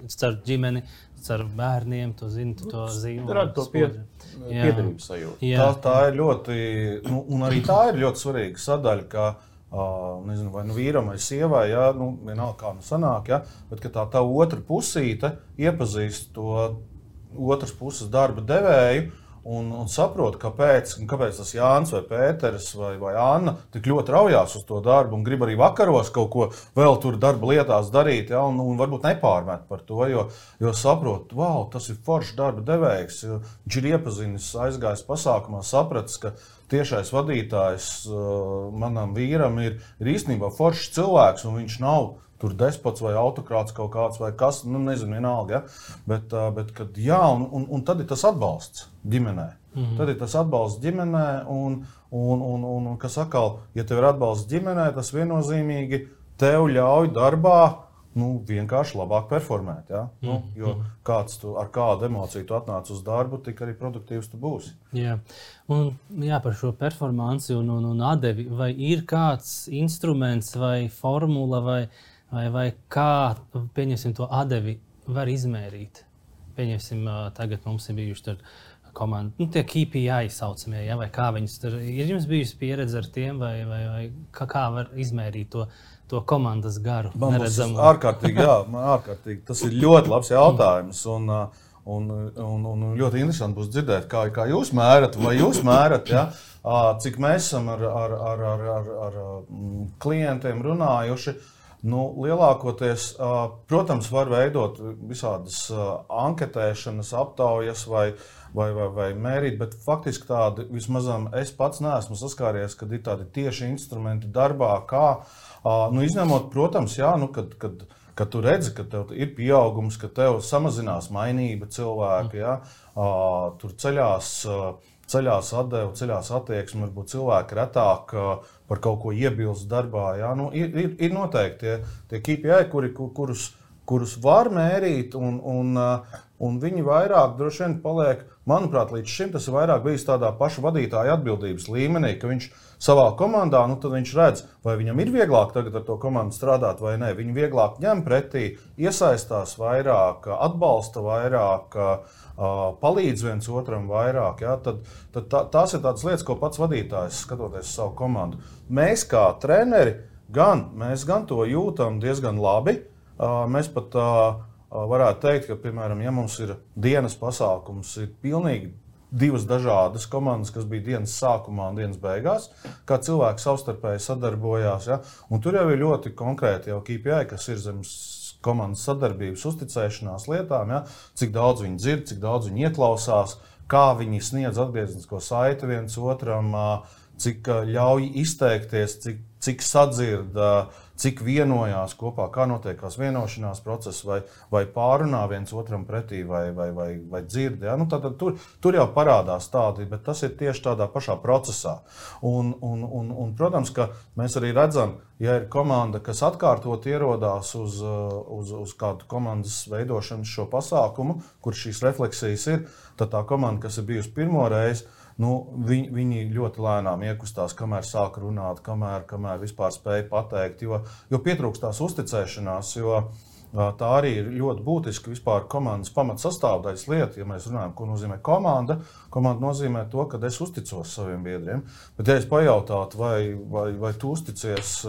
caur ģimeni, caur bērniem, tu zini, tu to zīmi. Tā ir to piedarības sajūta. Tā ir ļoti, un arī tā ir ļoti svarīga sadaļa, ka nezinu, vai vīram vai sievai, ja, vienalga kā sanāk, ja, bet ka tā otra pusīte iepazīst to otras puses darba devēju un saprot, kāpēc tas Jānis vai Pēters vai Anna tik ļoti raujās uz to darbu un grib arī vakaros kaut ko vēl tur darba lietās darīt, ja, un varbūt nepārmet par to, jo saprot, wow, tas ir foršs darba devējs, viņš ir iepazinis, aizgājis pasākumā, sapratis, ka tiešais vadītājs manam vīram ir īstenībā foršs cilvēks, un viņš nav tur despots vai autokrāts kaut kāds vai kas, nezinu, vienalga, ja? Bet kad jā, un tad ir tas atbalsts ģimenē. Tad ir tas atbalsts ģimenē, un kas atkal, ja tev ir atbalsts ģimenē, tas viennozīmīgi tev ļauj darbā vienkārši labāk performēt. Ja? Jo ar kādu emociju tu atnāc uz darbu, tik arī produktīvs tu būsi. Jā, par šo performanci un atdevi, vai ir kāds instruments vai formula vai kā, pieņemsim, to atdevi var izmērīt? Pieņemsim, tagad mums ir bijuši tur komandi, tie KPI saucamie, ja, vai kā viņus tur, ir jums bijusi pieredze ar tiem, vai kā var izmērīt to komandas garu? Ārkārtīgi. Tas ir ļoti labs jautājums, un ļoti interesanti būs dzirdēt, kā jūs mērat, vai jūs mērat, ja, cik mēs esam ar klientiem runājuši. Lielākoties, protams, var veidot visādas anketēšanas, aptaujas vai mērīt, bet faktiski tādi vismaz es pats neesmu saskāries, kad ir tādi tieši instrumenti darbā, kā, izņemot, protams, jā, kad tu redzi, ka tev ir pieaugums, ka tev samazinās mainība cilvēka, jā, tur ceļās atdeva, ceļās attieksme, varbūt cilvēki retāk par kaut ko iebilst darbā. Ja? Ir noteikti tie KPI, kurus var mērīt, un viņi vairāk droši vien paliek, manuprāt, līdz šim tas ir vairāk bijis tādā paša vadītāja atbildības līmenī, ka viņš savā komandā, tad viņš redz, vai viņam ir vieglāk tagad ar to komandu strādāt vai nē. Viņi vieglāk ņem pretī, iesaistās vairāk, atbalsta vairāk, palīdz viens otram vairāk. Ja? Tad tās ir tādas lietas, ko pats vadītājs skatoties savu komandu. Mēs kā treneri mēs gan to jūtam diezgan labi. Mēs pat varētu teikt, ka, piemēram, ja mums ir dienas pasākums, ir pilnīgi divas dažādas komandas, kas bija dienas sākumā un dienas beigās, kā cilvēki savstarpēji sadarbojās. Ja? Un tur jau ir ļoti konkrēti jau KPI, kas ir zem komandas sadarbības, uzticēšanās lietām, ja? Cik daudz viņi dzird, cik daudz viņi ieklausās, kā viņi sniedz atgrieznisko saiti viens otram, cik ļauj izteikties, cik sadzird, cik vienojās kopā, kā notiekās vienošanās process, vai pārunā viens otram pretī, vai dzird. Ja? Tātad tur jau parādās tādi, bet tas ir tieši tādā pašā procesā. Un, protams, ka mēs arī redzam, ja ir komanda, kas atkārtot ierodās uz kādu komandas veidošanas šo pasākumu, kur šīs refleksijas ir, tad tā komanda, kas ir bijusi pirmo reizi, viņi ļoti lēnām iekustās, kamēr sāk runāt, kamēr vispār spēja pateikt, jo pietrūkstās uzticēšanās, jo tā arī ir ļoti būtiska vispār komandas pamatsastāvdaļas lieta, ja mēs runājam, ko nozīmē komanda. Komanda nozīmē to, ka es uzticos saviem biedriem, bet ja es pajautātu, vai tu uzticies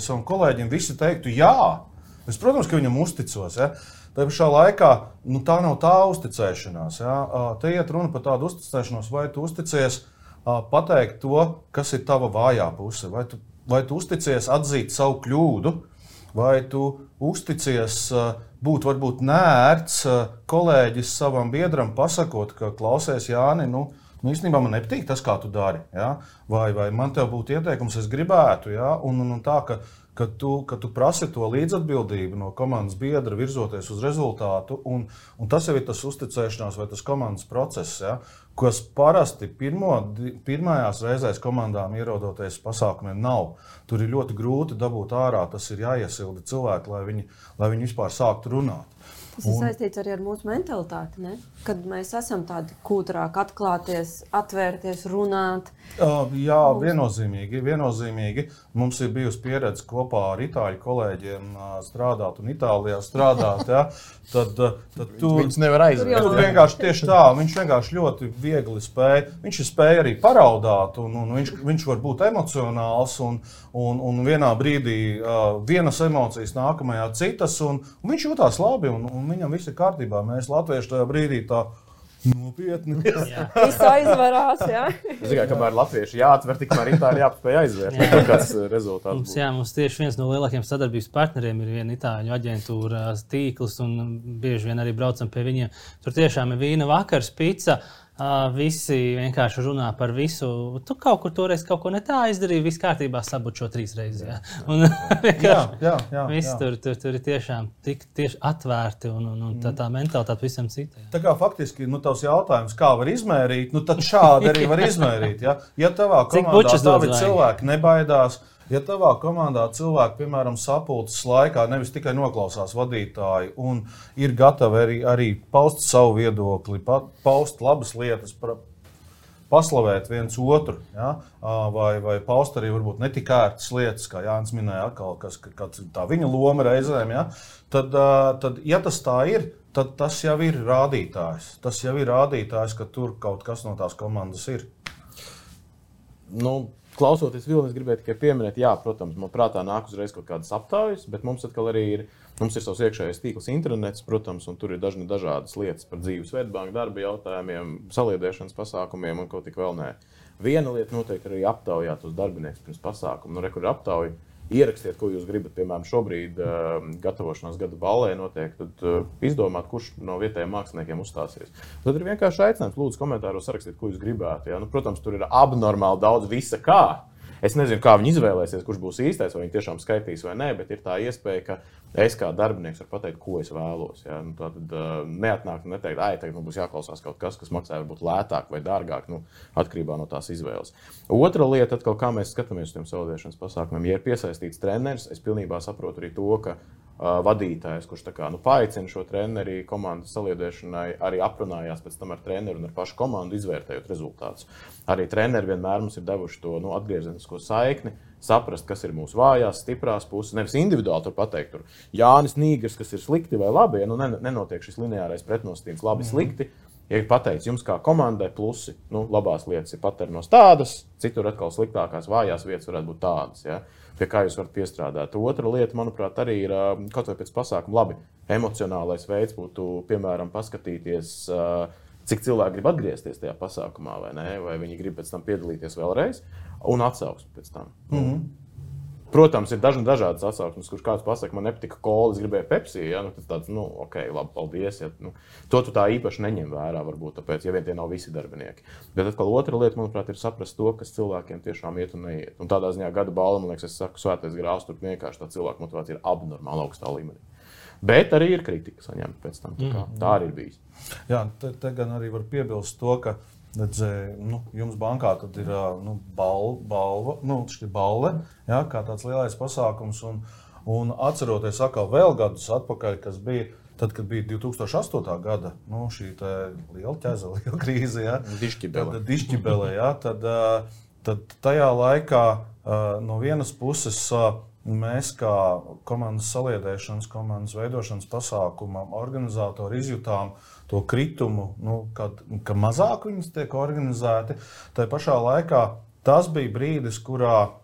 savam kolēģim, visi teiktu jā. Es, protams, ka viņam uzticos, ja. Tā pašā laikā tā nav tā uzticēšanās. Ja? Te iet runa par tādu uzticēšanos, vai tu uzticies pateikt to, kas ir tava vājā puse, vai tu uzticies atzīt savu kļūdu, vai tu uzticies būt varbūt neērts kolēģis savam biedram pasakot, ka klausies, Jāni, īstenībā man nepatīk tas, kā tu dari. Ja? Vai man tev būtu ieteikums, es gribētu, ja? un tā, ka tu prasi to līdzatbildību no komandas biedra virzoties uz rezultātu, un tas jau ir tas uzticēšanās vai tas komandas process, ja, kas parasti pirmajās reizēs komandām ierodoties pasākumiem nav. Tur ir ļoti grūti dabūt ārā, tas ir jāiesilda cilvēki, lai viņi vispār sāktu runāt. Tas ir saistīts arī ar mūsu mentalitāti, ne? Kad mēs esam tādi kūtrāk atklāties, atvērties, runāt. Jā, viennozīmīgi. Mums ir bijusi pieredze kopā ar itāļu kolēģiem strādāt un Itālijā strādāt. Ja? Tad Viņus nevar aizvērt. Tur vienkārši tieši tā, viņš vienkārši ļoti viegli spēja. Viņš spēja arī paraudāt, un viņš var būt emocionāls, un vienā brīdī vienas emocijas, nākamajā citas, un viņš jūtās labi, un viņam viss ir kārtībā. Mēs latvieši tajā brīdī tā nopietni. Viss aizvarās, jā. Ziniet, kamēr latvieši jāatver, tikmēr itāļi jāpaspēj aizvērt. Kāds rezultāts būs? Mums tieši viens no lielākajiem sadarbības partneriem ir viena itāļu aģentūra tīkls, un bieži vien arī braucam pie viņiem. Tur tiešām ir vīna vakars, pica. Visi vienkārši runā par visu. Tu kaut kur toreiz kaut ko ne tā izdarīji, viss kārtībā sabūt šo 3 reizes. Jā. Un viss tur ir tiešām tieši atvērti un tā mentalitāte visam citam. Tā kā faktiski, tavs jautājums, kā var izmērīt, tad šādi arī var izmērīt. Ja tavā komandā tavi cilvēki nebaidās, ja tavā komandā cilvēki, piemēram, sapulces laikā nevis tikai noklausās vadītāju un ir gatavi arī paust savu viedokli, paust labas lietas, paslavēt viens otru, ja? vai paust arī varbūt netik ērtas lietas, kā Jānis minēja atkal, kas tā viņa loma reizēm, ja? Tad, ja tas tā ir, tad tas jau ir rādītājs. Tas jau ir rādītājs, ka tur kaut kas no tās komandas ir. Klausoties Vilni, es gribēju tikai pieminēt, jā, protams, man prātā nāk uzreiz kaut kādas aptaujas, bet mums atkal arī ir savs iekšējais tīkls internets, protams, un tur ir dažādas lietas par dzīves Svetbanka darba jautājumiem, saliedēšanas pasākumiem un kaut tik vēl nē. Viena lieta noteikti arī aptaujāt uz darbiniekus pirms pasākumu. Kur ir aptauja, ierakstiet, ko jūs gribat, piemēram, šobrīd gatavošanās gada ballē notiek, tad izdomāt, kurš no vietējiem māksliniekiem uzstāsies. Tad ir vienkārši aicinājums, lūdzu, komentāros sarakstīt, ko jūs gribētu. Ja? Protams, tur ir abnormāli daudz visa kā. Es nezinu, kā viņi izvēlēsies, kurš būs īstais, vai viņi tiešām skaitīs vai nē, bet ir tā iespēja, ka es kā darbinieks varu pateikt, ko es vēlos. Ja? Tad neatnāk un neteikt, tagad būs jāklausās kaut kas maksā varbūt lētāk vai dārgāk, atkarībā no tās izvēles. Otra lieta, atkal, kā mēs skatāmies uz tiem saliedēšanas pasākumiem, ja ir piesaistīts treneris, es pilnībā saprotu arī to, ka vadītājs, kurš paaicina šo treneri komandas saliedēšanai, arī aprunājās pēc tam ar treneru un ar pašu komandu, izvērtējot rezultātus. Arī treneri vienmēr mums ir devuši to atgriezenisko saikni, saprast, kas ir mūsu vājās, stiprās puses. Nevis individuāli tur pateikt, Jānis Nīgers, kas ir slikti vai labi, nenotiek šis lineārais pretnosacījums labi, slikti. Ja ir pateikts, jums kā komandai plusi, labās lietas ir paternos tādas, citur atkal sliktākās vājās vietas varētu būt tādas. Ja? Pie kā jūs varat piestrādāt. Otra lieta, manuprāt, arī ir kaut vai pēc pasākuma labi. Emocionālais veids būtu, piemēram, paskatīties, cik cilvēki grib atgriezties tajā pasākumā, vai ne, vai viņi grib pēc tam piedalīties vēlreiz, un atsauksmi pēc tam. Protams, ir dažādas atsauksmes, kurš kāds pasaka, man nepatika kola, es gribēju Pepsi, ja? Tas tāds, ok, labi, paldies. Ja? To tu tā īpaši neņem vērā, varbūt, tāpēc, ja vien tie nav visi darbinieki. Bet atkal otra lieta, manuprāt, ir saprast to, kas cilvēkiem tiešām iet un neiet. Un tādā ziņā gada balva, man liekas, es saku, svētais grāvs, tur vienkārši tā cilvēku motivācija ir abnormāli augstā līmenī. Bet arī ir kritika saņemta pēc tam, tā arī ir bijis. Jā, te gan arī var piebilst to, ka jums bankā tad ir balle, ja, kā tāds lielais pasākums. Un atceroties atkal vēl gadus atpakaļ, kas bija tad, kad bija 2008. Gada šī liela ķeza, liela krīze, ja, Dišķibele, ja, tad tajā laikā no vienas puses mēs kā komandas saliedēšanas, komandas veidošanas pasākuma organizatori izjutām to kritumu, ka mazāk viņas tiek organizēti. Tā pašā laikā tas bija brīdis, kurā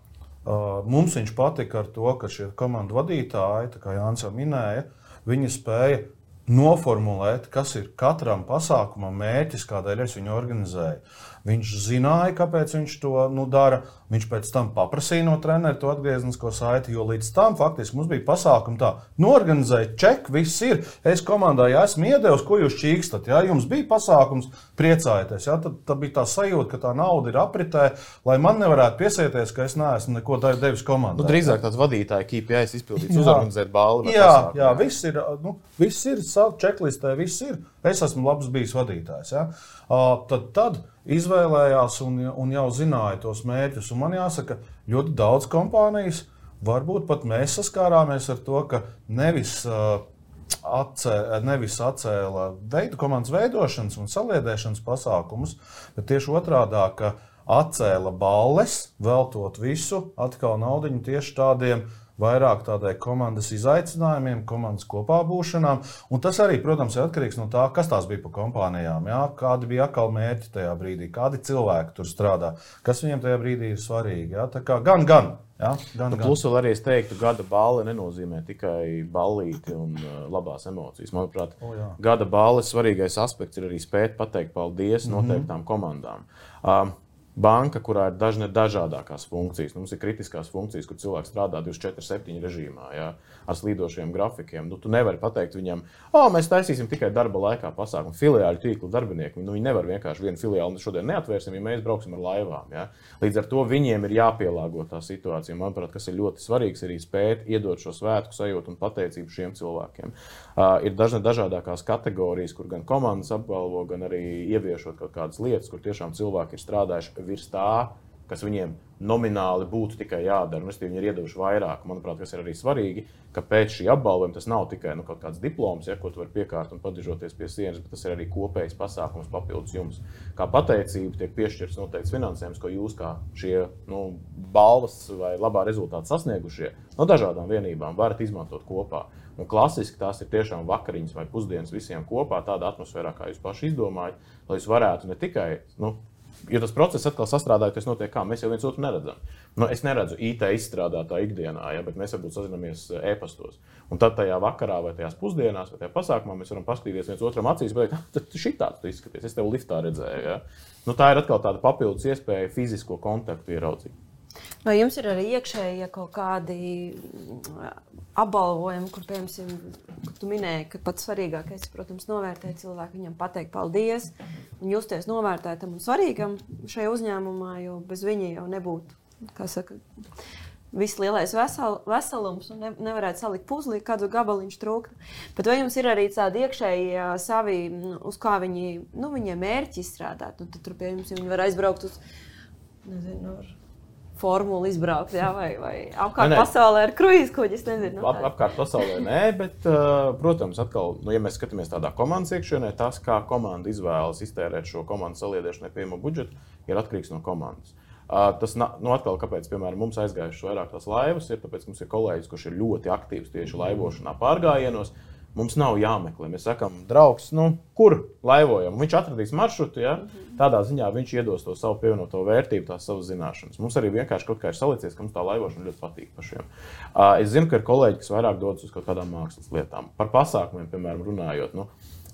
mums viņš patika ar to, ka šie komandu vadītāji, tā kā Jānis jau minēja, viņi spēja noformulēt, kas ir katram pasākumam mērķis, kādēļ es viņu organizēju. Viņš zināja, kāpēc viņš to dara. Viņš pēc tam paprasīja no trenera to atgriezenisko saiti, jo līdz tam faktiski mums bija pasākumi tā, norganizēja, ček, viss ir. Es komandai esmu iedevis, ko jūs čīkstat. Ja? Jums bija pasākums, priecājieties. Ja? Tad bija tā sajūta, ka tā nauda ir apritē, lai man nevarētu piesieties, ka es neesmu neko devis komandai. Drīzāk tāds vadītāja KPIs izpildīts, uzorganizēt balli. Jā, viss ir savu čeklistē, viss ir. Es esmu labs bijis vadītājs. Ja? Tad izvēlējās un jau zināja tos mērķus. Un man jāsaka, ļoti daudz kompānijas, varbūt pat mēs saskārāmies ar to, ka nevis nevis atcēla komandas veidošanas un saliedēšanas pasākumus, bet tieši otrādā, ka atcēla balles, veltot visu atkal naudiņu tieši tādiem vairāk tādai komandas izaicinājumiem, komandas kopā būšanām. Un tas arī, protams, ir atkarīgs no tā, kas tās bija pa kompānijām, jā? Kādi bija atkal mērķi tajā brīdī, kādi cilvēki tur strādā, kas viņiem tajā brīdī ir svarīgi. Jā? Tā kā gan. Jā? Gan. Plus vēl arī es teiktu, gada balli nenozīmē tikai ballīti un labās emocijas. Manuprāt, gada balles svarīgais aspekts ir arī spēt pateikt paldies noteiktām komandām. Banka, kurā ir dažādākās funkcijas. Mums ir kritiskās funkcijas, kur cilvēks strādā 24/7 režīmā, jā, ar slīdošiem grafikiem. Tu nevari pateikt viņam, mēs taisīsim tikai darba laikā pasākumu. Filiāļu tīklu darbinieki, viņi nevar vienkārši vienu filiāli šodien neatvērsim, ja mēs brauksim ar laivām. Jā. Līdz ar to viņiem ir jāpielāgo tā situācija. Manuprāt, kas ir ļoti svarīgs, arī spēt iedot šo svētku sajūtu un pateicību šiem cilvēkiem. Ir dažādākās kategorijas, kur gan komandas apbalvo, gan arī ieviešot kaut kādas lietas, kur tiešām cilvēki ir strādājuši virs tā, kas viņiem nomināli būtu tikai jādara. Viņi ir iedevuši vairāk. Manuprāt, kas ir arī svarīgi, ka pēc šī apbalvojuma tas nav tikai kaut kāds diploms, ko tu vari piekārt un padižoties pie sienas, bet tas ir arī kopējs pasākums papildus jums. Kā pateicība tiek piešķirts noteikts finansējums, ko jūs kā šie balvas vai labā rezultāta sasniegušie no dažādām vienībām varat izmantot kopā. Un klasiski tās ir tiešām vakariņas vai pusdienas visiem kopā, tādā atmosfērā, kā jūs paši izdomājat, lai jūs varētu ne tikai, jo tas process atkal sastrādājoties notiek kā, mēs jau viens otru neredzam. Es neredzu IT izstrādātā ikdienā, bet mēs varbūt sazinamies e-pastos. Un tad tajā vakarā vai tajās pusdienās vai tajā pasākumā mēs varam paskatīties viens otram acīs, bet tad šitāds tu izskaties, es tev liftā redzēju. Ja? Tā ir atkal tāda papildus iespēja fizisko kontaktu ieraudzīt. Vai jums ir arī iekšēji kaut kādi apbalvojumi, kur, piemēram, tu minēji, ka pats svarīgākais ir, protams, novērtēt cilvēku, viņam pateikt paldies un justies novērtētam un svarīgam šajā uzņēmumā, jo bez viņa jau nebūtu, kā saka, viss lielais veselums un nevarētu salikt puzlī, kādu gabaliņš trūktu. Bet vai jums ir arī tādi iekšēji savi, uz kā viņiem mērķi izstrādāt? Tad tur, piemēram, viņi var aizbraukt uz, nezinu, formulu izbraukt, jā, vai apkārt pasaulē ar kruīzkuģi, es nezinu. Apkārt pasaulē nē, bet, protams, atkal, ja mēs skatāmies tādā komandas iekšienē, tas, kā komanda izvēlas iztērēt šo komandas saliedēšanai pieejamo budžetu, ir atkarīgs no komandas. Tas, atkal, kāpēc, piemēram, mums aizgājušas vairāk tās laivas, ir tāpēc, mums ir kolēģis, kurš ir ļoti aktīvs tieši laivošanā pārgājienos. Mums nav jāmeklē. Mēs sakām, draugs, kur laivojam? Viņš atradīs maršrutu, ja? Tādā ziņā viņš iedos to savu pievienoto vērtību, tās savas zināšanas. Mums arī vienkārši kaut kā ir salicies, ka mums tā laivošana ļoti patīk pašiem. Es zinu, ka ir kolēģi, kas vairāk dodas uz kaut kādām mākslas lietām. Par pasākumiem, piemēram, runājot.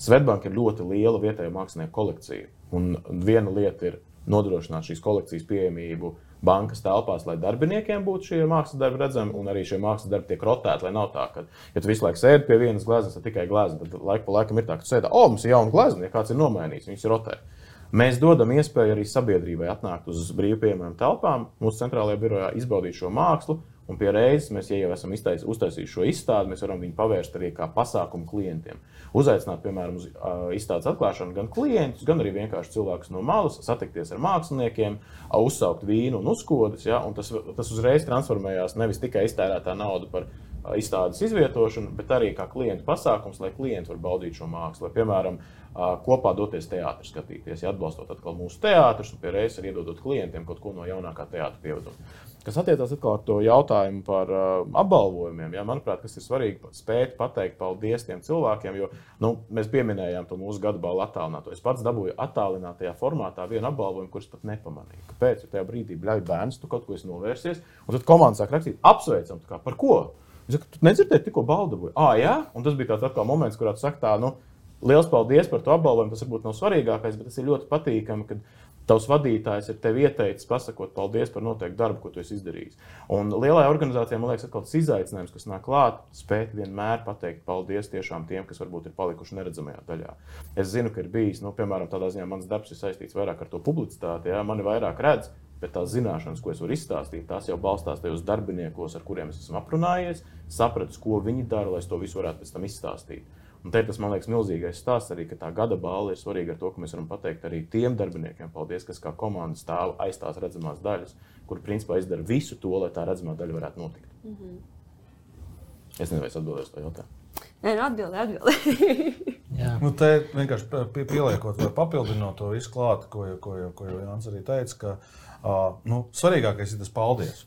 Swedbank ir ļoti liela vietēja mākslinieku kolekcija. Un viena lieta ir nodrošināt šīs kolekcijas pieejamību bankas telpās, lai darbiniekiem būtu šie mākslas darbi redzami, un arī šie mākslas darbi tiek rotēti, lai nav tā, ka, ja tu visu laiku sēdi pie vienas gleznas, tad tikai glezna, tad laiku pa laikam ir tā, ka tu sēdi, mums ir jauna glezna, ja kāds ir nomainījis, viņas ir rotē. Mēs dodam iespēju arī sabiedrībai atnākt uz brīvpieejamām telpām, mūsu centrālajā birojā izbaudīt šo mākslu, un pie reizes mēs, ja jau esam uztaisījuši šo izstādi, mēs varam viņu pavērst arī kā pasākumu klientiem. Uzaicināt, piemēram, uz izstādes atklāšanu gan klientus, gan arī vienkārši cilvēkus no malas, satikties ar māksliniekiem, uzsaukt vīnu un uzkodas, ja, un tas uzreiz transformējās nevis tikai iztērētā nauda par izstādes izvietošanu, bet arī kā klientu pasākums, lai klienti var baudīt šo mākslu. Lai, piemēram, kopā doties teātri skatīties, ja atbalstot atkal mūsu teātrus un pie reizes arī iedodot klientiem kaut ko no jaunākā teātra pievedot. Kas attiecās atkal ar to jautājumu par apbalvojumiem, ja, manuprāt, kas ir svarīgi spēt pateikt paldies tiem cilvēkiem, jo mēs pieminējām to mūsu gada balvu attālināto. Es pats dabūju attālinātajā formātā vienu apbalvojumu, kurus pat nepamanīju. Kāpēc? Jo tajā brīdī bļauj bērns, tu kaut ko esi novērsies, un tad komanda sāk rakstīt, apsveicam, par ko? Es saku, tu nedzirdēji, tikko balvu dabūji. Jā? Un tas bija tāds atkal moments, kurā tu saki tā, liels paldies par to apbalvojumu, tas varbūt nav svarīgākais, bet tas ir ļoti patīkami, kad tavs vadītājs ir tev ieteicis pasakot paldies par noteiktu darbu, ko tu esi izdarījis. Un lielajā organizācijā, man liekas, atkal tas izaicinājums, kas nāk klāt, spēt vienmēr pateikt paldies tiešām tiem, kas varbūt ir palikuši neredzamajā daļā. Es zinu, ka ir bijis, piemēram, tādā ziņā mans darbs ir saistīts vairāk ar to publicitāti, ja, mani vairāk redz, bet tās zināšanas, ko es varu izstāstīt, tās jau balstās tajos darbiniekos, ar kuriem es esmu aprunājies, sapratis, ko viņi dara, lai es to visu varētu pēc tam izstāstīt. Un te tas, man liekas, milzīgais stāsts arī, ka tā gada balva ir svarīga ar to, ka mēs varam pateikt arī tiem darbiniekiem paldies, kas kā komanda stāv aiz tās redzamās daļas, kur principā izdara visu to, lai tā redzamā daļa varētu notikt. Es nezinu, vai es atbildēju uz to jautājumu. Nē, atbildi. Nu, te vienkārši pieliekot vai papildinot to visu klāt, ko jau Jānis arī teica, ka svarīgākais ir tas paldies.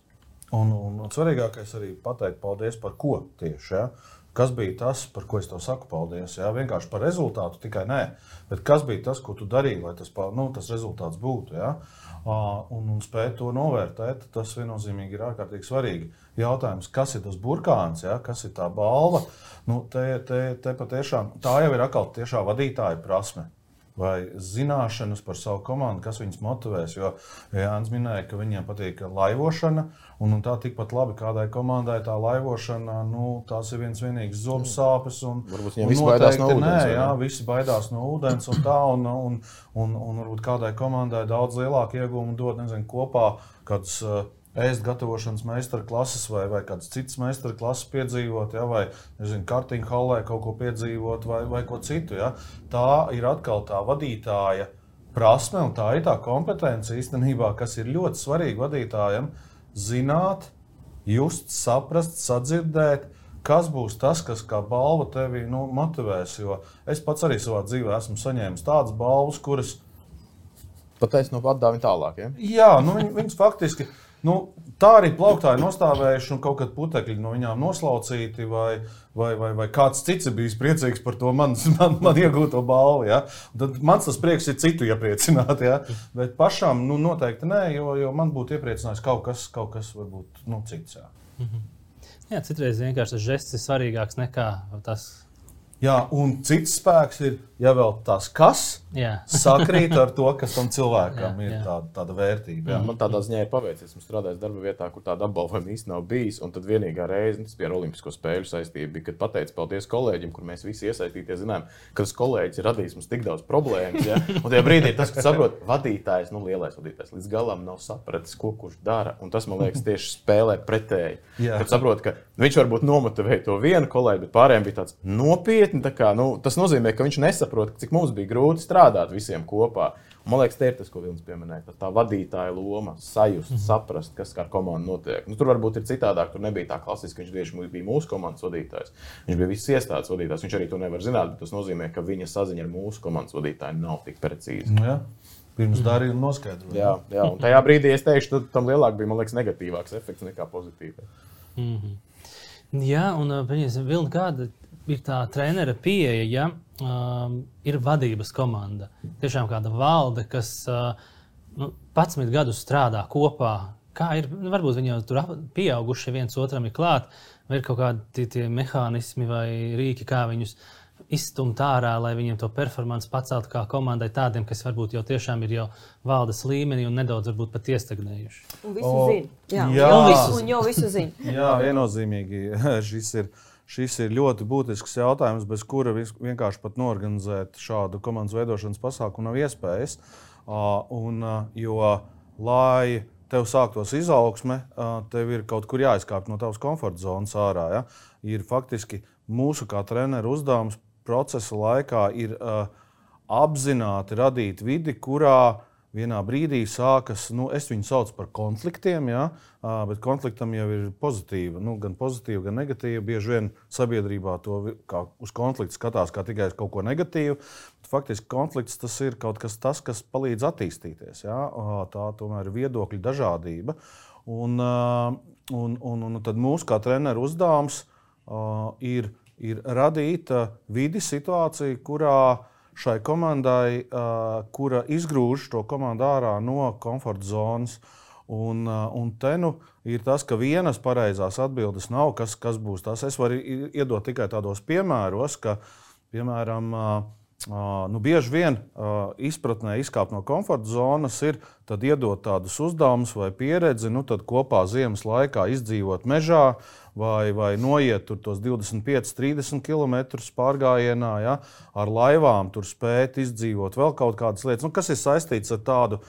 Un svarīgākais arī pateikt paldies par ko tieši. Ja? Kas bija tas, par ko es tev saku paldies? Ja? Vienkārši par rezultātu tikai nē, bet kas bija tas, ko tu darīji, lai tas rezultāts būtu. Ja? Un spēt to novērtēt, tas viennozīmīgi ir ārkārtīgi svarīgi. Jautājums, kas ir tas burkāns, ja? Kas ir tā balva? Te patiešām, tā jau ir atkal tiešā vadītāja prasme vai zināšanas par savu komandu, kas viņus motivēs. Jo Jānis minēja, ka viņiem patīk laivošana, un tā tikpat labi kādai komandai tā laivošana, tās ir vienīgas zobu sāpes. Varbūt viņi visi baidās no ūdens. Jā, visi baidās no ūdens un tā, un varbūt kādai komandai daudz lielāku iegūmu dod, nezinu, kopā kāds ēst gatavošanas meistarklases vai kādas citas meistarklases piedzīvot, ja, vai, nezinu, kartiņu hallē kaut ko piedzīvot vai ko citu. Ja. Tā ir atkal tā vadītāja prasme un tā ir tā kompetence īstenībā, kas ir ļoti svarīga vadītājam zināt, just, saprast, sadzirdēt, kas būs tas, kas kā balva tevi motivēs. Jo es pats arī savā dzīvē esmu saņēmis tādas balvas, kuras Pateic no atdāvina tālāk, ja? Jā, viņas faktiski tā arī plauktāji nostāvējuši un kaut kad putekļi no viņām noslaucīti vai kāds cits ir bijis priecīgs par to man iegūto balvu. Ja? Tad mans tas prieks ir citu iepriecināt, ja? Bet pašām noteikti nē, jo man būtu iepriecinājis kaut kas varbūt cits. Ja? Jā, citreiz vienkārši tas žests ir svarīgāks nekā tas. Jā, un cits spēks ir, ja vēl tas kas sakrīt ar to, kas tam cilvēkam ir tāda vērtība. Jā. Man tādā ziņā ir paveicies. Esmu strādājis darba vietā, kur tāda apbalvojuma īsti nav bijis. Un tad vienīgā reize, tas bija ar Olimpisko spēļu saistība, bija, kad pateicu paldies kolēģim, kur mēs visi iesaistīties, zinājām, ka tas kolēģis ir radījis mums tik daudz problēmas. Ja? Un tajā brīdī tas, kad saprot, vadītājs, lielais vadītājs, līdz galam nav sapratis, ko kurš dara. Un tas, man liekas, tieši spēlē pretēji. Kad saprot, ka viņš varbūt nomotivēja to vienu kolēģi, bet pārējiem bija tāds nopietni. Tas nozīmē, ka viņš nesaprot, cik mums bija grūti strādāt visiem kopā. Un, man liekas, te ir tas, ko Vilnis pieminēja. Tā vadītāja loma, sajust, saprast, kas kā ar komandu notiek. Tur varbūt ir citādāk, tur nebija tā klasiski, viņš tieši bija mūsu komandas vadītājs. Viņš bija visas iestādes vadītājs, viņš arī to nevar zināt, bet tas nozīmē, ka viņa saziņa ar mūsu komandas vadītāju nav tik precīza. Jā. Pirms darījuma noskaidrot. Jā, un tajā brīdī es teikšu, tam lielāk bija, man liekas, negatīvāks efekts nekā pozitīvs. Jā, un Vilni, kāda ir tā trenera pieeja, ja ir vadības komanda. Tiešām kāda valde, kas 11 gadus strādā kopā. Kā ir, varbūt viņi jau tur pieauguši viens otram ir klāt, vai ir kaut kādi tie mehānismi vai rīki, kā viņus izstumt ārā, lai viņiem to performanci paceltu kā komandai tādiem, kas varbūt jau tiešām ir jau valdes līmenī un nedaudz varbūt pat iestagnējuši. Un visu zina. Jau visu zina. Jā, viennozīmīgi. Šis ir ļoti būtisks jautājums, bez kura vienkārši pat norganizēt šādu komandas veidošanas pasākumu nav iespējas. Jo, lai tev sāktos izaugsme, tev ir kaut kur jāizkāp no tavas komforta zonas ārā. Ja? Ir faktiski mūsu kā treneru uzdevums procesa laikā ir apzināti radīt vidi, kurā vienā brīdī sākas, es viņu saucu par konfliktiem, ja? Bet konfliktam jau ir pozitīva, gan pozitīva, gan negatīva. Bieži vien sabiedrībā to kā uz konfliktu skatās kā tikai kaut ko negatīvu. Faktiski konflikts tas ir kaut kas tas, kas palīdz attīstīties. Ja? Tā tomēr ir viedokļu dažādība. Un tad mūsu kā treneru uzdevums ir radīt vidi situāciju, kurā šai komandai, kura izgrūž to komandu ārā no komforta zonas. Un te ir tas, ka vienas pareizās atbildes nav, kas būs tas. Es varu iedot tikai tādos piemēros, ka, piemēram, bieži vien izpratnē izkāpt no komforta zonas ir tad iedot tādus uzdevumus vai pieredzi, tad kopā ziemas laikā izdzīvot mežā vai noiet tur tos 25-30 km pārgājienā, ja, ar laivām tur spēt izdzīvot vēl kaut kādas lietas, kas ir saistīts ar tādu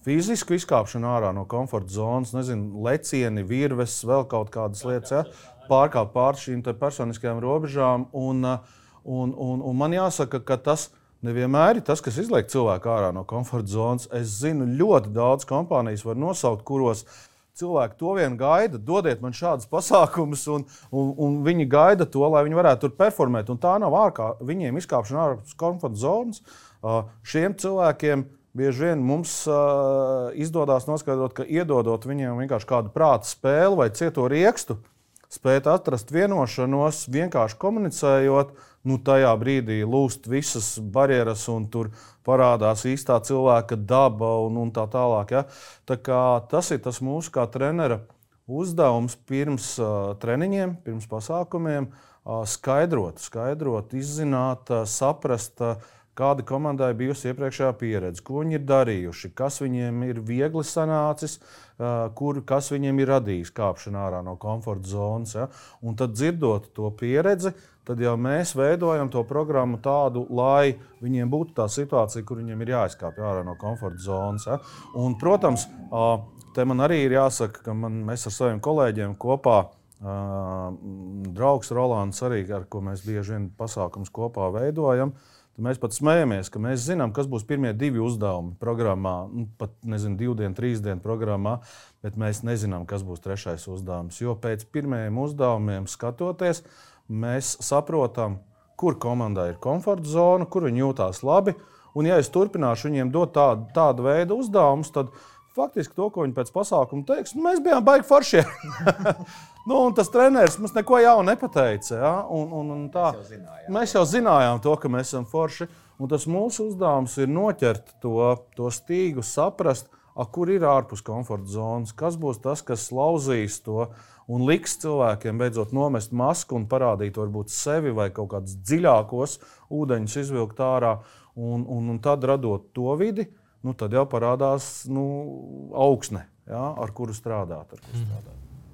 fizisku izkāpšanu ārā no komforta zonas, nezinu, lecieni, virves, vēl kaut kādas lietas, ja, pārkāpt pār šīm personiskajām robežām. Un man jāsaka, ka tas nevienmēr ir tas, kas izliek cilvēku ārā no komforta zonas. Es zinu, ļoti daudz kompānijas var nosaukt, kuros cilvēki to vien gaida, dodiet man šādus pasākumus, un viņi gaida to, lai viņi varētu tur performēt. Un tā nav viņiem izkāpšana ārpus komforta zonas. Šiem cilvēkiem bieži vien mums izdodas noskaidrot, ka iedodot viņiem vienkārši kādu prāta spēli vai cieto riekstu, spēt atrast vienošanos, vienkārši komunicējot, tajā brīdī lūst visas barjeras un tur parādās īstā cilvēka daba un tā tālāk. Ja? Tā kā tas ir tas mūsu kā trenera uzdevums pirms treniņiem, pirms pasākumiem, skaidrot, izzināt, saprast, kāda komandai bijusi iepriekšējā pieredze, ko viņi ir darījuši, kas viņiem ir viegli sanācis, kas viņiem ir radījis kāpšana ārā no komforta zonas. Ja? Un tad dzirdot to pieredzi, tad jau mēs veidojam to programmu tādu, lai viņiem būtu tā situācija, kur viņiem ir jāizkāpj ārā no komforta zonas. Ja? Un, protams, te man arī ir jāsaka, ka mēs ar saviem kolēģiem kopā, draugs Rolands arī, ar ko mēs bieži vien pasākums kopā veidojam, tad mēs pat smējamies, ka mēs zinām, kas būs pirmie 2 uzdevumi programmā, pat 2 dienu, 3 dienu programmā, bet mēs nezinām, kas būs 3. uzdevums. Jo pēc pirmajiem uzdevumiem skatoties, mēs saprotam, kur komandai ir komforta zona, kur viņi jūtās labi. Un ja es turpināšu viņiem dot tādu veidu uzdevumus, tad faktiski to, ko viņi pēc pasākuma teiks, mēs bijām baigi foršie. Un tas treneris mums neko jaunu nepateica. Ja? Un tā, mēs jau zinājām to, ka mēs esam forši. Un tas mūsu uzdevums ir noķert to stīgu, saprast, kur ir ārpus komforta zonas, kas būs tas, kas lauzīs to un liks cilvēkiem beidzot nomest masku un parādīt varbūt sevi vai kaut kādus dziļākos ūdeņus izvilkt ārā. Un tad radot to vidi, tad jau parādās augsne, ja, ar kuru strādāt.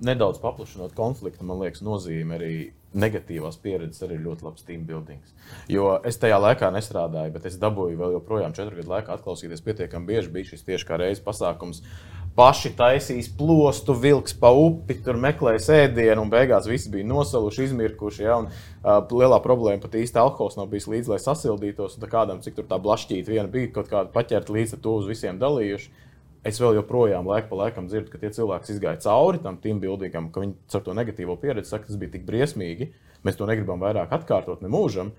Nedaudz paplašinot konfliktu, man liekas, nozīme arī negatīvās pieredzes arī ļoti labs team buildings. Jo es tajā laikā nestrādāju, bet es dabūju vēl joprojām 4 gadu laikā atklausīties pietiekami bieži. Bija šis tieši kā reizes pasākums. Paši taisīs plostu, vilks pa upi, tur meklēja ēdienu un beigās visi bija nosaluši, izmirkuši. Ja, un, lielā problēma pat īsti alkohols nav bijis līdz, lai sasildītos. Un kādam, cik tur tā blašķīta viena bija, kaut kāda paķerta līdz ar to uz visiem dalījuši. Es vēl joprojām laiku pa laikam dzirdu, ka tie cilvēki izgāja cauri tam team buildingam, ka viņi ar to negatīvo pieredzi saka, tas bija tik briesmīgi. Mēs to negribam vairāk atkārtot ne mūžam,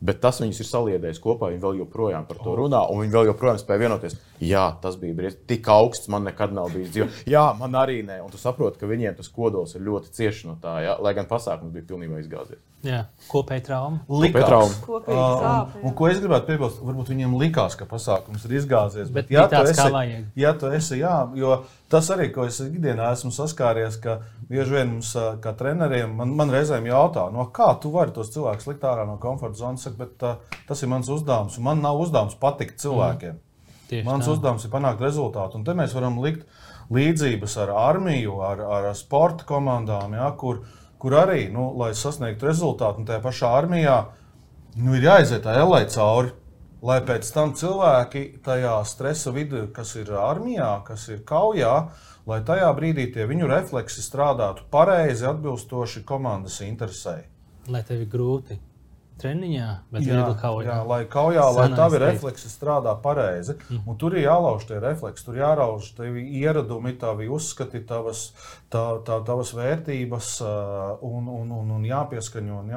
bet tas viņus ir saliedējis kopā, viņi vēl joprojām par to runā, un viņi vēl joprojām spēja vienoties. Jā, tas bija briesmīgi, tik augsts man nekad nav bijis dzīvē. Jā, man arī ne. Un tu saproti, ka viņiem tas kodols ir ļoti cieši no tā, ja? Lai gan pasākums bija pilnībā izgāzies. Jā, kopēja trauma. Likās. Un ko es gribētu piebilst, varbūt viņiem likās, ka pasākums ir izgāzies. Bet ja tāds kā vajag. Ja tu esi, jā, jo tas arī, ko es ikdienā esmu saskāries, ka bieži vien mums kā treneriem, man reizēm jautā, kā tu vari tos cilvēkus likt ārā no komforta zonas, bet tas ir mans uzdevums, un man nav uzdevums patikt cilvēkiem. Mans uzdevums ir panākt rezultātu, un te mēs varam likt līdzības ar armiju, ar sporta komandām, ja, kur arī, lai sasniegtu rezultātu, un tajā pašā armijā ir jāiziet tā ellē cauri, lai pēc tam cilvēki tajā stresa vidū, kas ir armijā, kas ir kaujā, lai tajā brīdī tie viņu refleksi strādātu pareizi, atbilstoši komandas interesei. Lai tev ir grūti treniņā, bet viegli kaujā. Jā, lai kaujā, lai tavi refleksi strādā pareizi. Un tur ir jālauž tie refleksi, tur jārauž tavi ieradumi, tavi uzskati, tavas vērtības un jāpieskaņo un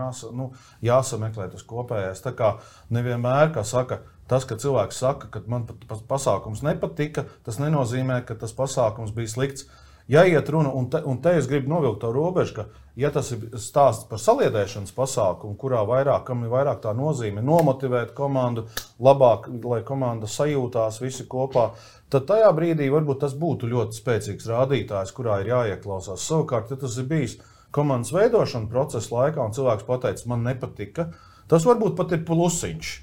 jāsameklē tas kopējais. Tā kā nevienmēr, kā saka, tas, ka cilvēks saka, ka man pasākums nepatika, tas nenozīmē, ka tas pasākums bija slikts. Jāiet runa, un te es gribu novilkt to robežu, ka, ja tas ir stāsts par saliedēšanas pasākumu, kam ir vairāk tā nozīme nomotivēt komandu, labāk, lai komanda sajūtās visi kopā, tad tajā brīdī varbūt tas būtu ļoti spēcīgs rādītājs, kurā ir jāieklausās. Savukārt, ja tas ir bijis komandas veidošana procesa laikā, un cilvēks pateica, man nepatika, tas varbūt pat ir plusiņš.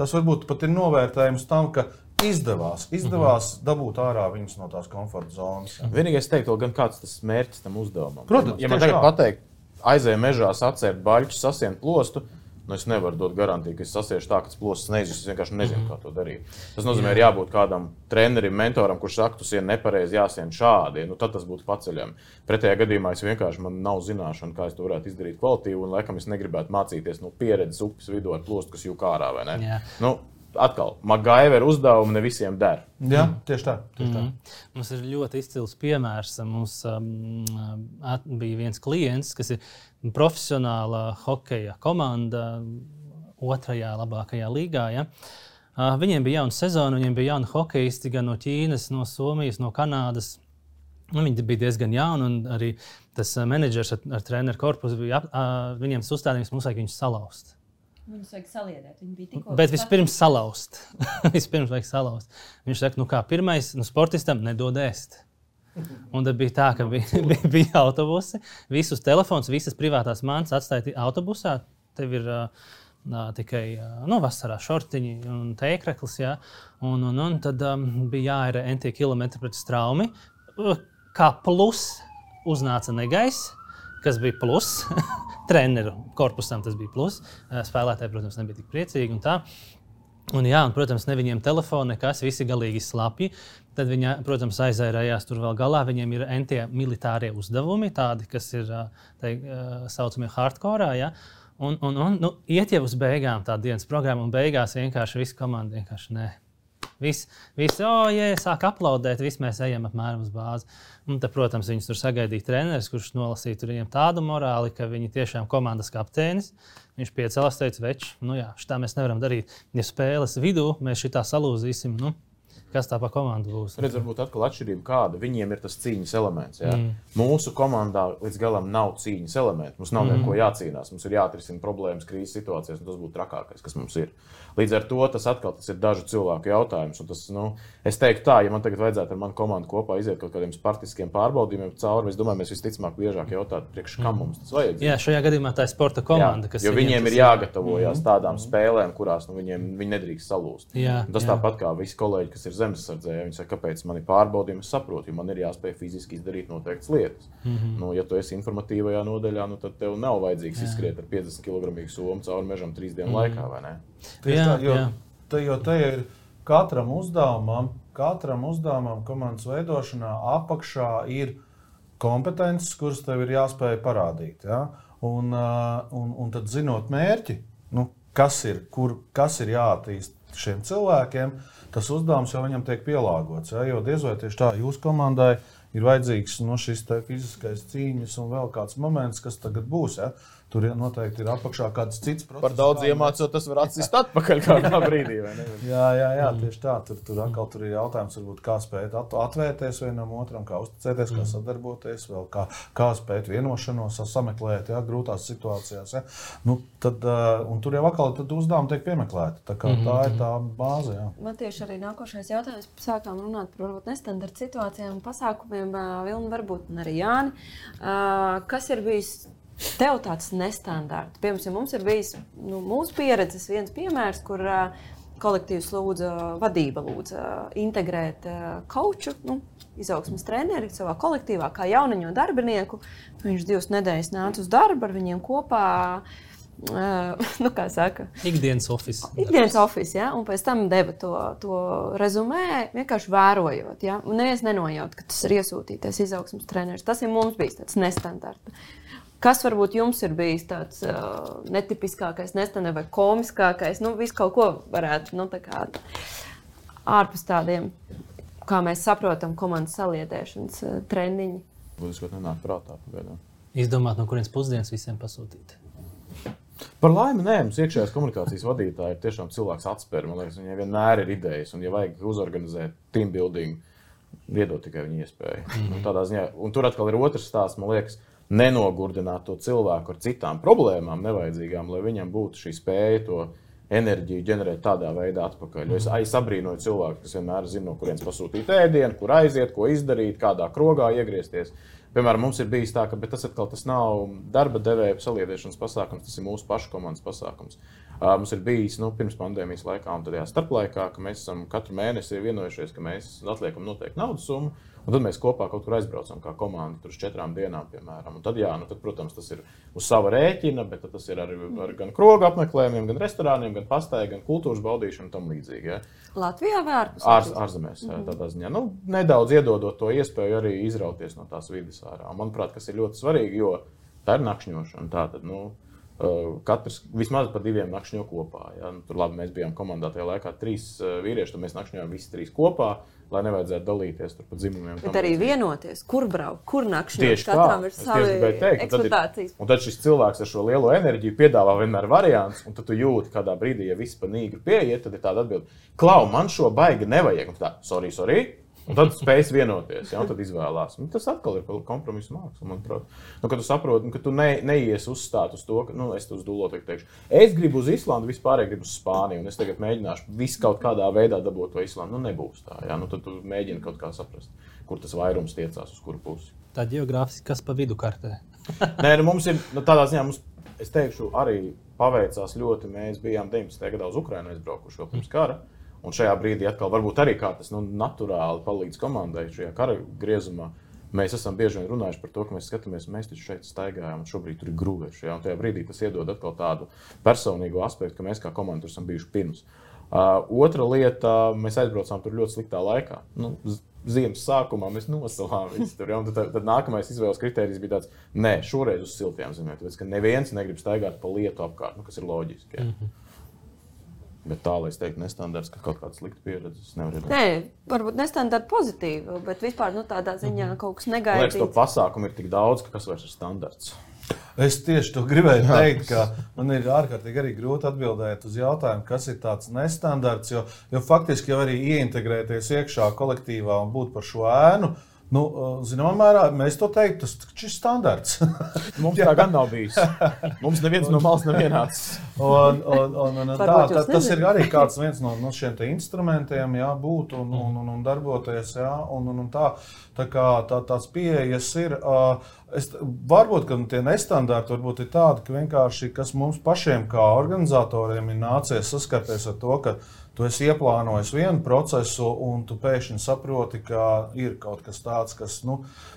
Tas varbūt pat ir novērtējums tam, ka izdevās dabūt ārā viņus no tās komforta zonas. Vienīgais teiktu, gan kāds tas mērķis tam uzdevumam. Protams, ja man tagad pateikt, aizēju mežā, sacērt baļķus, sasien plostu, es nevaru dot garantiju, ka es sasiešu tā, ka tas plostas neizjūs, es vienkārši nezinu, kā to darīt. Tas nozīmē, ir jābūt kādam trenerim, mentoram, kurš saka, tu sien nepareizi, jāsien šādi, tad tas būtu paceļami. Pretējā gadījumā man nav zināšana, kā es to varētu izdarīt kvalitīvi, un laikam es negribētu mācīties no pieredzes upes vidū ar plostu, kas jūk ārā, vai ne? Jā. atkal, MacGyver uzdevumi ne visiem der. Jā, tieši tā. Mums ir ļoti izcils piemērs. Mums bija viens klients, kas ir profesionāla hokeja komanda 2. labākajā līgā. Ja? Viņiem bija jauna sezona, viņiem bija jauni hokeisti gan no Ķīnas, no Somijas, no Kanādas. Viņi bija diezgan jauni, un arī tas menedžers ar treneru korpusu bija viņiem uzstādījums, mums vajag viņus salauzt. Viņus vajag saliedēt. Viņi bija tikko. Bet vispirms salauzt. Vispirms vajag salauzt. Viņš saka, kā pirmais, sportistam nedod ēst. Un tad bija tā, ka bija autobusi, visus telefons, visas privātās mantas atstāja autobusā. Tev ir tikai vasarā šortiņi un tēkreklis, ja? Un tad bija jāir NT kilometri pret straumi. Kā plus uznāca negaiss, kas bija plus. Treneru korpusam tas bija plus. Spēlētāji, protams, nebija tik priecīgi un tā. Un, protams, ne viņiem telefoni, nekas, visi galīgi slapji. Tad viņi, protams, aizērējās tur vēl galā. Viņiem ir NT militārie uzdevumi, tādi, kas ir saucamie hardcore. Ja? Un iet jau uz beigām tā dienas programma, un beigās vienkārši visa komanda vienkārši nē. Visi, sāk aplaudēt, visi mēs ejam apmēram uz bāzi. Un tad, protams, viņus tur sagaidīja treneris, kurš nolasīja tur viņiem tādu morāli, ka viņi tiešām komandas kapteinis. Viņš piecēlās, teica, veči, šitā mēs nevaram darīt. Ja spēles vidū mēs šitā salūzīsim, kas tā pa komandu būs? Redz, varbūt atkal atšķirība kāda. Viņiem ir tas cīņas elements. Ja? Mūsu komandā līdz galam nav cīņas elements. Mums nav neko jācīnās. Mums ir jāatrisina problēmas krīzes situācijās, un tas būtu trakākais, kas mums ir. Līdz ar to tas ir dažu cilvēku jautājums. Un tas, es teiktu tā, ja man tagad vajadzētu ar manu komandu kopā iziet kaut kādiem spartiskiem pārbaudījumiem cauri, es domāju, mēs visticamāk biežāk jautātu, priekš kam mums tas vajag. Jā, šajā gadījumā tā ir sporta komanda, kas jo viņiem ir jāgatavojas tādām spēlēm, kurās viņi nedrīkst salūst. Tas tāpat kā visi kolēģi, kas ir zemesardzē, viņi saka, kāpēc man ir pārbaudījumi, es saprotu, jo man ir jāspēj fiziski izdarīt noteiktas lietas. Ja tu esi informatīvajā nodaļā, tad tev nav vajadzīgs izskriet ar 50 kg somu cauri mežam 3 dienu laikā, vai ne? Jo te ir katram uzdevumam komandas veidošanā apakšā ir kompetences, kuras tev ir jāspēj parādīt. Ja? Un tad zinot mērķi, kas ir jāattīst šiem cilvēkiem, tas uzdevums jau viņam tiek pielāgots. Ja? Jo diez vai tieši tā jūsu komandai ir vajadzīgs šis fiziskais cīņas un vēl kāds moments, kas tagad būs. Ja? Tur noteikti ir apakšā kāds cits process. Par daudz iemācot, tas var atsist atpakaļ kādā brīdī, vai ne? Jā, tieši tā. Tur ir jautājums, varbūt, kā spēt atvērties vienam otram, kā uzticēties, kā sadarboties, vēl kā spēt vienošanos, sameklēt grūtās situācijās. Ja? Un tur jau atkal uzdevumi tiek piemeklēti. Tā ir tā bāze. Jā. Man tieši arī nākošais jautājums. Sākām runāt par varbūt nestandarta situācijām un pasākumiem. Vilni, varbūt arī Jāni. Kas ir bijis tev tāds nestandarts? Piemēram, mums ir bijis mūsu pieredzes viens piemērs, kur kolektīvs vadība lūdza integrēt kauču, izaugsmes treneri savā kolektīvā kā jauniņo darbinieku. Viņš 2 nedēļas nāca uz darbu ar viņiem kopā. Kā saka? Ikdienas office. Ikdienas office, ja? Un pēc tam deva to rezumē, vienkārši vērojot. Ja? Un neviens nenojaut, ka tas ir iesūtītais izaugsmes treneris. Tas ir mums bijis tāds nestandarts. Kas varbūt jums ir bijis tāds netipiskākais, nestandarts vai komiskākais? Visu kaut ko varētu, ārpus tādiem, kā mēs saprotam, komandas saliedēšanas trendiņi. Būs, ka nenāk prātā pagaidām. Izdomāt, no kurienes pusdienas visiem pasūtīt. Par laimi, nē, mums iekšējās komunikācijas vadītāji ir tiešām cilvēks atspēr. Man liekas, viņai vienmēr ir idejas, un ja vajag uzorganizēt team building, iedot tikai viņa iespēju. Tādā ziņā, un tur atkal ir otrs stāsts, man liekas, nenogurdināt to cilvēku ar citām problēmām nevajadzīgām, lai viņam būtu šī spēja to enerģiju ģenerēt tādā veidā atpakaļ. Jo es abrīnoju cilvēku, kas vienmēr zina, no kurienes pasūtīt ēdienu, kur aiziet, ko izdarīt, kādā krogā iegriezties. Piemēram, mums ir bijis tā, ka tas nav darba devēja saliedēšanas pasākums, tas ir mūsu pašu komandas pasākums. Mums ir bijis pirms pandēmijas laikā un tādajā starplaikā, ka mēs esam katru mēnesi vienojušies, ka mēs atliekam noteikti naudas summu, un tad mēs kopā kaut kur aizbraucam kā komanda tur uz 4 dienām, piemēram. Un tad, tad, protams, tas ir uz sava rēķina, bet tas ir ar gan kroga apmeklējumiem, gan restorāniem, gan pastāju, gan kultūras baudīšanu un tam līdzīgi. Ja. Latvijā vai ārpus? Ārzemēs, tādā ziņā. Nedaudz iedodot to iespēju arī izrauties no tās vides ārā. Manuprāt, kas ir ļoti svarīgi, jo tā ir nakšņošana. Tātad, Katrs vismaz pa 2 nakšņo kopā. Ja? Nu, tur labi, mēs bijām komandā tajā laikā 3 vīrieši, tad mēs nakšņojām visi 3 kopā, lai nevajadzētu dalīties tur pa dzimumiem. Bet arī vienoties, kur braukt, kur nakšņot. Tieši katram ir tā. savi eksploatācijas. Un tad šis cilvēks ar šo lielo enerģiju piedāvā vienmēr variants, un tad tu jūti kādā brīdī, ja viss pa nīgru pieiet, tad ir tāda atbilde, Klau, man šo baigi nevajag. Un tā, sorry. Un tad spējas vienoties, ja, un tad izvēlās. Un tas atkal ir kompromisu māksla, manuprāt. Nu, kad tu saproti, ka tu neies uzstāt uz to, ka, es uz dullotu teikšu, es gribu uz Islandu, vispārēji gribu uz Spāniju, un es tagad mēģināšu visu kaut kādā veidā dabūt to Islandu. Nu, nebūs tā, ja. Nu, tad tu mēģini kaut kā saprast, kur tas vairums tiecās, uz kuru pusi. Tā ģeogrāfiski, kas pa vidu kartē? Nē, nu, mums ir, tādā ziņā, es teikšu, arī paveicās ļoti, mēs bijām 19. gadā uz Ukrainu aizbraukuši vēl pirms kara. Un šajā brīdī atkal varbūt arī kā tas naturāli palīdz komandai šajā kara griezumā. Mēs esam bieži vien runājuši par to, ka mēs skatāmies, mēs taču šeit staigājām, un šobrīd tur ir grūvēši. Ja? Un tajā brīdī tas iedod atkal tādu personīgo aspektu, ka mēs kā komanda tur esam bijuši pirms. Otra lieta, mēs aizbraucām tur ļoti sliktā laikā. Ziemas sākumā mēs nosalām visu tur. Ja? Tad nākamais izvēles kritērijs bija tāds, nē, šoreiz uz siltajām zemēm, tāpēc, ka neviens negrib staigāt pa lietu apkārt, kas ir loģiski. Ja? Bet tā, lai es teiktu, nestandards, ka kaut kāda slikta pieredze, es nevaru iedomāties. Nē, varbūt nestandards pozitīvi, bet vispār tādā ziņā kaut kas negaidīts. Man liekas, to pasākumu ir tik daudz, ka kas vairs ir standarts. Es tieši to gribēju teikt, ka man ir ārkārtīgi arī grūti atbildēt uz jautājumu, kas ir tāds nestandarts, jo faktiski jau arī ieintegrēties iekšā kolektīvā un būt par šo ēnu. Zināmā mērā mēs to teiktu, tas ir standarts. Mums tā gan nav bijis. Mums neviens no malas nav vienāds. Tas ir arī kāds viens no šiem te instrumentiem, jā, būt un darboties. Jā, un tās pieejas ir. Varbūt, ka tie nestandarti varbūt ir tādi, ka vienkārši, kas mums pašiem kā organizatoriem ir nācies saskarties ar to, ka tu esi ieplānojis vienu procesu, un tu pēkšņi saproti, ka ir kaut kas tāds, kas,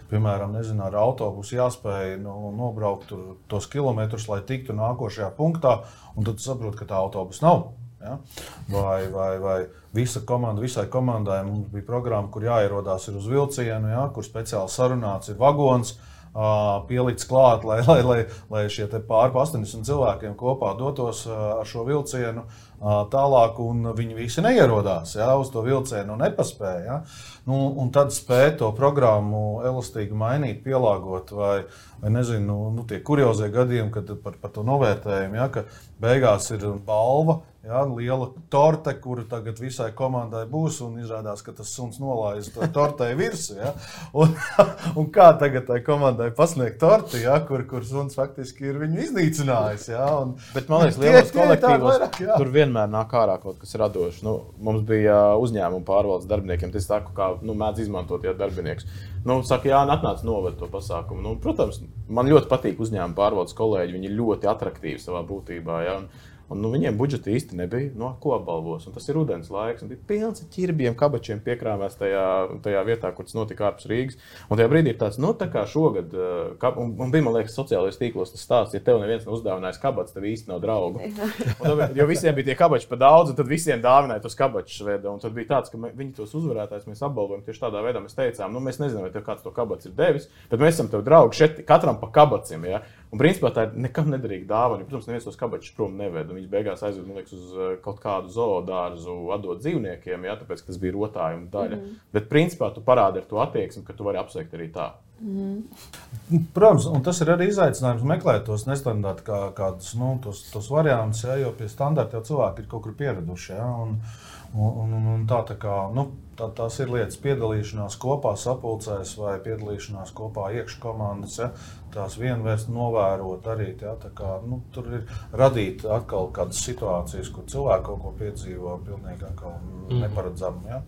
piemēram, ar autobusu jāspēj nobraukt tos kilometrus, lai tiktu nākošajā punktā, un tad tu saproti, ka tā autobusa nav. Ja? Vai visai komandai mums bija programma, kur jāierodās ir uz vilcienu, ja? Kur speciāli sarunāts ir vagons, pielikts klāt, lai šie pār 80 cilvēkiem kopā dotos ar šo vilcienu tālāk, un viņi visi neierodās, ja, uz to vilcienu un nepaspēja. Ja. Un tad spēja to programmu elastīgi mainīt, pielāgot, vai tie kuriozie gadījumi, kad par to novērtējumu, ja, ka beigās ir balva, ja, liela torte, kura tagad visai komandai būs, un izrādās, ka tas suns nolaiz tortei virsū. Ja. Un kā tagad tai komandai pasniegt torti, ja, kur suns faktiski ir viņu iznīcinājis. Ja, bet man liekas, lielos kolektīvos tur vienmēr nāk ārā kaut kas radošs. Mums bija uzņēmuma pārvaldes darbiniekiem, tas saku, kā mēdz izmantot darbinieks. Saka, jā, atnāc noved to pasākumu. Protams, man ļoti patīk uzņēmuma pārvaldes kolēģi, viņi ir ļoti atraktīvi savā būtībā. Ja. Un viņiem budžeta īsti nebija, ko apbalvos. Un tas ir rudens laiks, un bija pilns ar ķirbiem, kabačiem piekrāvēs tajā vietā, kur tas notika ārpus Rīgas. Un tajā brīdī ir tāds, tā kā šogad, un bija, man liekas, sociālajos tīklos tas stāsts, ja tev neviens nav uzdāvinājis kabats, tev īsti nav draugu. Jo visiem bija tie kabači pa daudz, un tad visiem dāvināja tos kabačus. Un tad bija tāds, ka viņi tos uzvarētājus mēs apbalvojam tieši tādā veidā. Mēs teicām, mēs nezinām, vai tev kāds to kabats ir devis, bet mēs esam tev draugi šeit katram pa kabaciem. Ja? Un principā tā ir nekam nederīga dāvana. Protams, neviens tos kabačus prom neved. Viņš beigās aizved, man liekas, uz kaut kādu zoodārzu atdot dzīvniekiem, ja, tāpēc, ka tas bija rotājuma daļa. Bet principā tu parādi ar to attieksmi, ka tu vari apsveikt arī tā. Protams, un tas ir arī izaicinājums meklēt tos nestandarti kādus, tos variantus, ja, jo pie standarta jau cilvēki ir kaut kur pieraduši. Ja, un tās ir lietas piedalīšanās kopā sapulcēs vai piedalīšanās kopā iekškomandas, ja, tās vienvērst novērot arī, ja, tur ir radīt atkal kādas situācijas, kur cilvēki kaut ko piedzīvo pilnīgi atkal neparedzam, ja.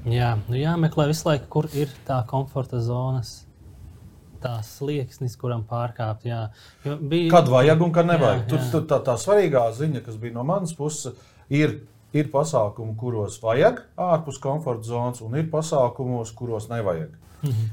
Jā, jāmeklē visu laiku, kur ir tā komforta zonas, tā slieksnis, kuram pārkāpt, jā. Kad vajag un kad nevajag. Tur tā svarīgā ziņa, kas bija no manas puses, ir pasākumi, kuros vajag ārpus komforta zonas, un ir pasākumos, kuros nevajag.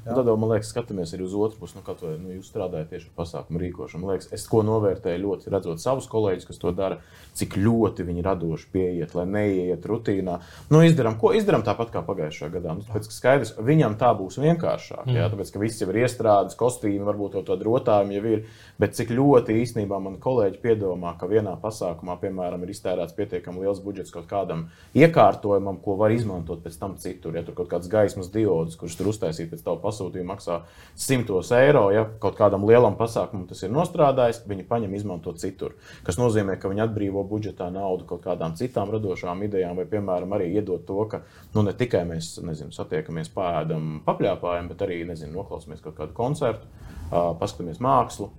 Tad, man liekas, skatāmies arī uz otru pusi, jūs strādājat tieši ar pasākumu rīkošanu. Man liekas, es ko novērtēju ļoti, redzot savus kolēģus, kas to dara, cik ļoti viņi radoši pieiet, lai neieiet rutīnā. Izdarām tāpat kā pagājušajā gadā. Tāpēc, ka skaidrs, viņam tā būs vienkāršāk, tāpēc, ka viss jau ir iestrādes, kostīmi, varbūt to rotājumi jau ir, bet cik ļoti īstenībā man kolēģi piedomā, ka vienā pasākumā, piemēram, ir iztērēts pietiekami liels budžets kaut kādam iekārtojumam, ko var izmantot pēc tam citur. Ja tur kaut kāds gaismas diods, kurš tur uztaisīt pēc tavu pasūtījumu maksā 100 eiro, ja kaut kādam lielam pasākumam tas ir nostrādājis, viņi paņem izmantot citur. Kas nozīmē, ka viņi atbrīvo budžetā naudu kaut kādām citām radošām idejām, vai, piemēram, arī iedot to, ka ne tikai mēs, satiekamies, pāēdam, papļāpājam, bet arī, noklausāmies kaut kādu koncertu, paskatāmies mākslu.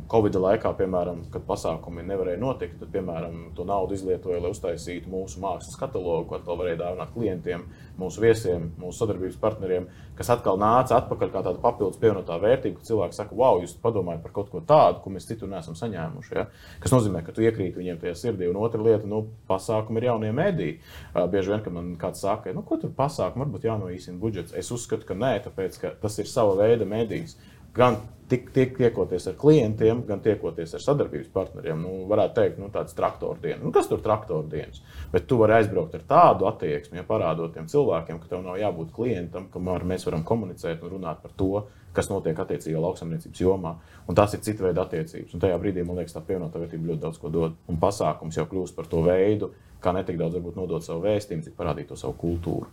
Covid laikā, piemēram, kad pasākumi nevarēja notikt, tad, piemēram, to naudu izlietoja, lai uztaisītu mūsu mākslas katalogu, ko atkal varēja dāvināt klientiem, mūsu viesiem, mūsu sadarbības partneriem, kas atkal nāca atpakaļ kā tāda papildus pievienotā vērtība, ka cilvēki saka, wow, jūs padomājat par kaut ko tādu, ko mēs citur neesam saņēmuši. Ja? Kas nozīmē, ka tu iekrīt viņiem tajā sirdī. Un otra lieta, pasākumi ir jaunie mediji. Bieži vien, kad man kāds saka, ko tur pasākumi, varbūt jānoīsina budžets. Es uzskatu, ka nē, tāpēc, ka tas ir sava veida medijs. Gan tiekoties ar klientiem, gan tiekoties ar sadarbības partneriem. Varētu teikt, tāds traktordienas. Kas tur traktordienas? Bet tu vari aizbraukt ar tādu attieksmi, parādot tiem cilvēkiem, ka tev nav jābūt klientam, kamēr mēs varam komunicēt un runāt par to, kas notiek attiecīgā lauksaimniecības jomā. Un tās ir cita veida attiecības. Un tajā brīdī, man liekas, tā pievienotā vērtība ļoti daudz ko dod. Un pasākums jau kļūst par to veidu, kā netik daudz varbūt nodot savu vēstījumu, cik parādīt to savu kultūru.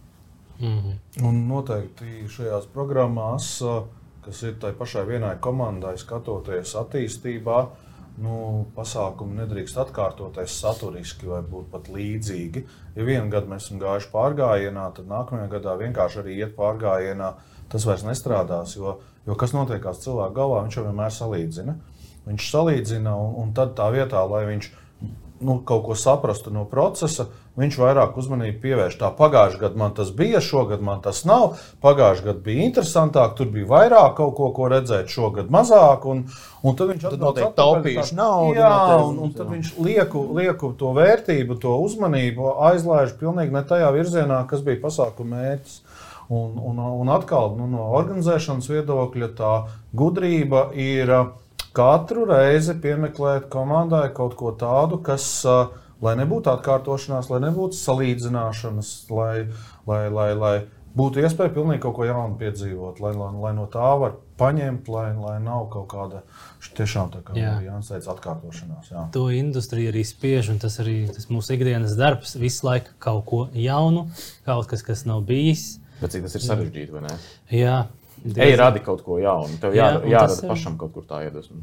Un noteikti šajās programmās, kas ir tai pašai vienai komandai, skatoties attīstībā, pasākumi nedrīkst atkārtoties saturiski vai būt pat līdzīgi. Ja vienu gadu mēs esam gājuši pārgājienā, tad nākamajā gadā vienkārši arī iet pārgājienā, tas vairs nestrādās, jo kas notiekās cilvēku galvā, viņš jau vienmēr salīdzina. Viņš salīdzina un tad tā vietā, lai viņš kaut ko saprastu no procesa, viņš vairāk uzmanību pievērš. Tā pagājušajā gadā man tas bija, šogad man tas nav. Pagājušajā gadā bija interesantāk, tur bija vairāk kaut ko redzēt, šogad mazāk. Un tad viņš noteikti taupījuši naudu. Jā, un tad viņš lieku to vērtību, to uzmanību aizlaiž pilnīgi ne tajā virzienā, kas bija pasākuma mērķis. Un atkal no organizēšanas viedokļa tā gudrība ir katru reizi piemeklēt komandai kaut ko tādu, kas, lai nebūtu atkārtošanās, lai nebūtu salīdzināšanas, lai būtu iespēja pilnīgi kaut ko jaunu piedzīvot, lai no tā var paņemt, lai nav kaut kāda tiešām tā kā Jānis teica atkārtošanās. Jā. To industrija arī spiež, un tas arī mūsu ikdienas darbs, visu laiku kaut ko jaunu, kaut kas nav bijis. Bet cik tas ir sarežģīti, vai ne? Jā. Ej, radi kaut ko jaunu. Tev jārada pašam kaut kur tā iedvesma.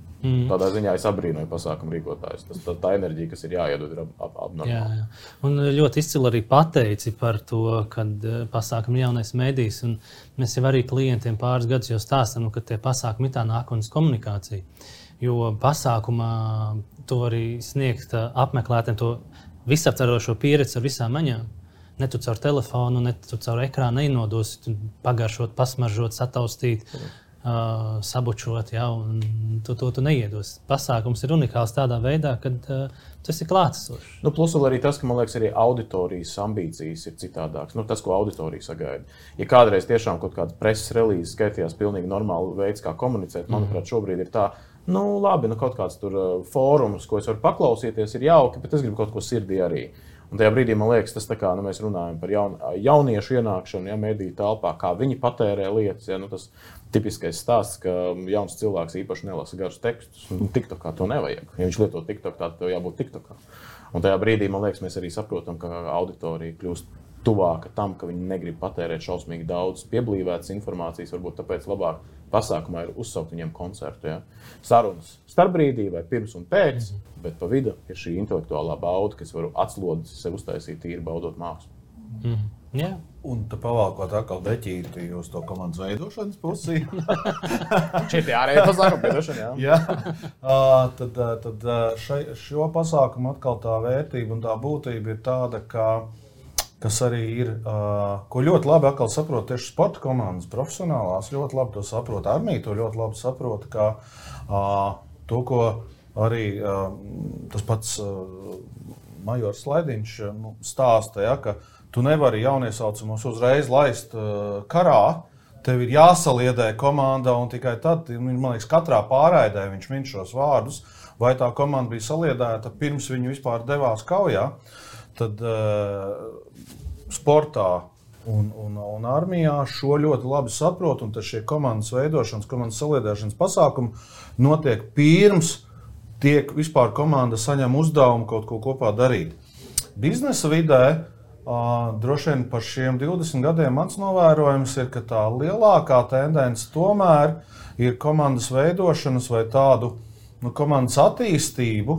Tādā ziņā es abrīnoju pasākumu rīkotājus. Tā enerģija, kas ir jāiedod, ir abnormāla. Jā. Un ļoti izcili arī pateici par to, kad pasākumi jaunais medijs. Un mēs jau arī klientiem pāris gadus jau stāstam, ka tie pasākumi ir tā nākotnes komunikācija. Jo pasākumā tu vari sniegt apmeklētājiem to visaptverošo pieredzi ar visām maņām. Ne tu caur telefonu, ne tu caur ekrānu neinodosi, pagaršot, pasmaržot, sataustīt, sabučot, un tu neiedos. Pasākums ir unikāls tādā veidā, kad tas ir klātesošs. Plus vēl arī tas, ka, man liekas, arī auditorijas ambīcijas ir citādākas. Tas, ko auditorija sagaida. Ja kādreiz tiešām kaut kāda preses relīze skaitījās pilnīgi normāli veids, kā komunicēt, manuprāt, šobrīd ir tā, labi, kaut kāds tur fórums, ko es varu paklausīties, ir jauki, bet es gribu kaut ko sirdī arī. Un tajā brīdī, man liekas, tas tā kā mēs runājam par jauniešu ienākšanu, mediju telpā, kā viņi patērē lietas. Tas tipiskais stāsts, ka jauns cilvēks īpaši nelasa garus tekstus. TikTokā to nevajag. Ja viņš lieto TikTok, tad tev jābūt TikTokā. Un tajā brīdī, man liekas, mēs arī saprotam, ka auditorija kļūst tuvāka tam, ka viņi negrib patērēt šausmīgi daudz pieblīvētas informācijas, varbūt tāpēc labāk pasākumā ir uzsaukt viņiem koncertu. Ja? Sarunas starpbrīdī vai pirms un pēc, bet pa vidu ir šī intelektuālā bauda, kas var atslodzi sev uztaisīt tīri baudot mākslu. Jā. Un te pavalkot atkal deķīti uz to komandas veidošanas pusi. Šeit ārēja pasākumu piedošana, jā. Tad šo pasākumu atkal tā vērtība un tā būtība ir tāda, kas arī ir, ko ļoti labi atkal saprot tieši sporta komandas profesionālās, ļoti labi to saprot, armija to ļoti labi saprot, ka to, ko arī tas pats majors Slaidiņš stāsta, ka tu nevari jauniesaucamos uzreiz laist karā, tev ir jāsaliedē komanda, un tikai tad, man liekas, katrā pārraidē viņš min šos vārdus, vai tā komanda bija saliedēta pirms viņi vispār devās kaujā. Tad sportā un armijā šo ļoti labi saprot, un tad šie komandas veidošanas, komandas saliedēšanas pasākumi notiek pirms tiek vispār komanda saņem uzdevumu kaut ko kopā darīt. Biznesa vidē droši vien par šiem 20 gadiem mans novērojums ir, ka tā lielākā tendence tomēr ir komandas veidošanas vai tādu komandas attīstību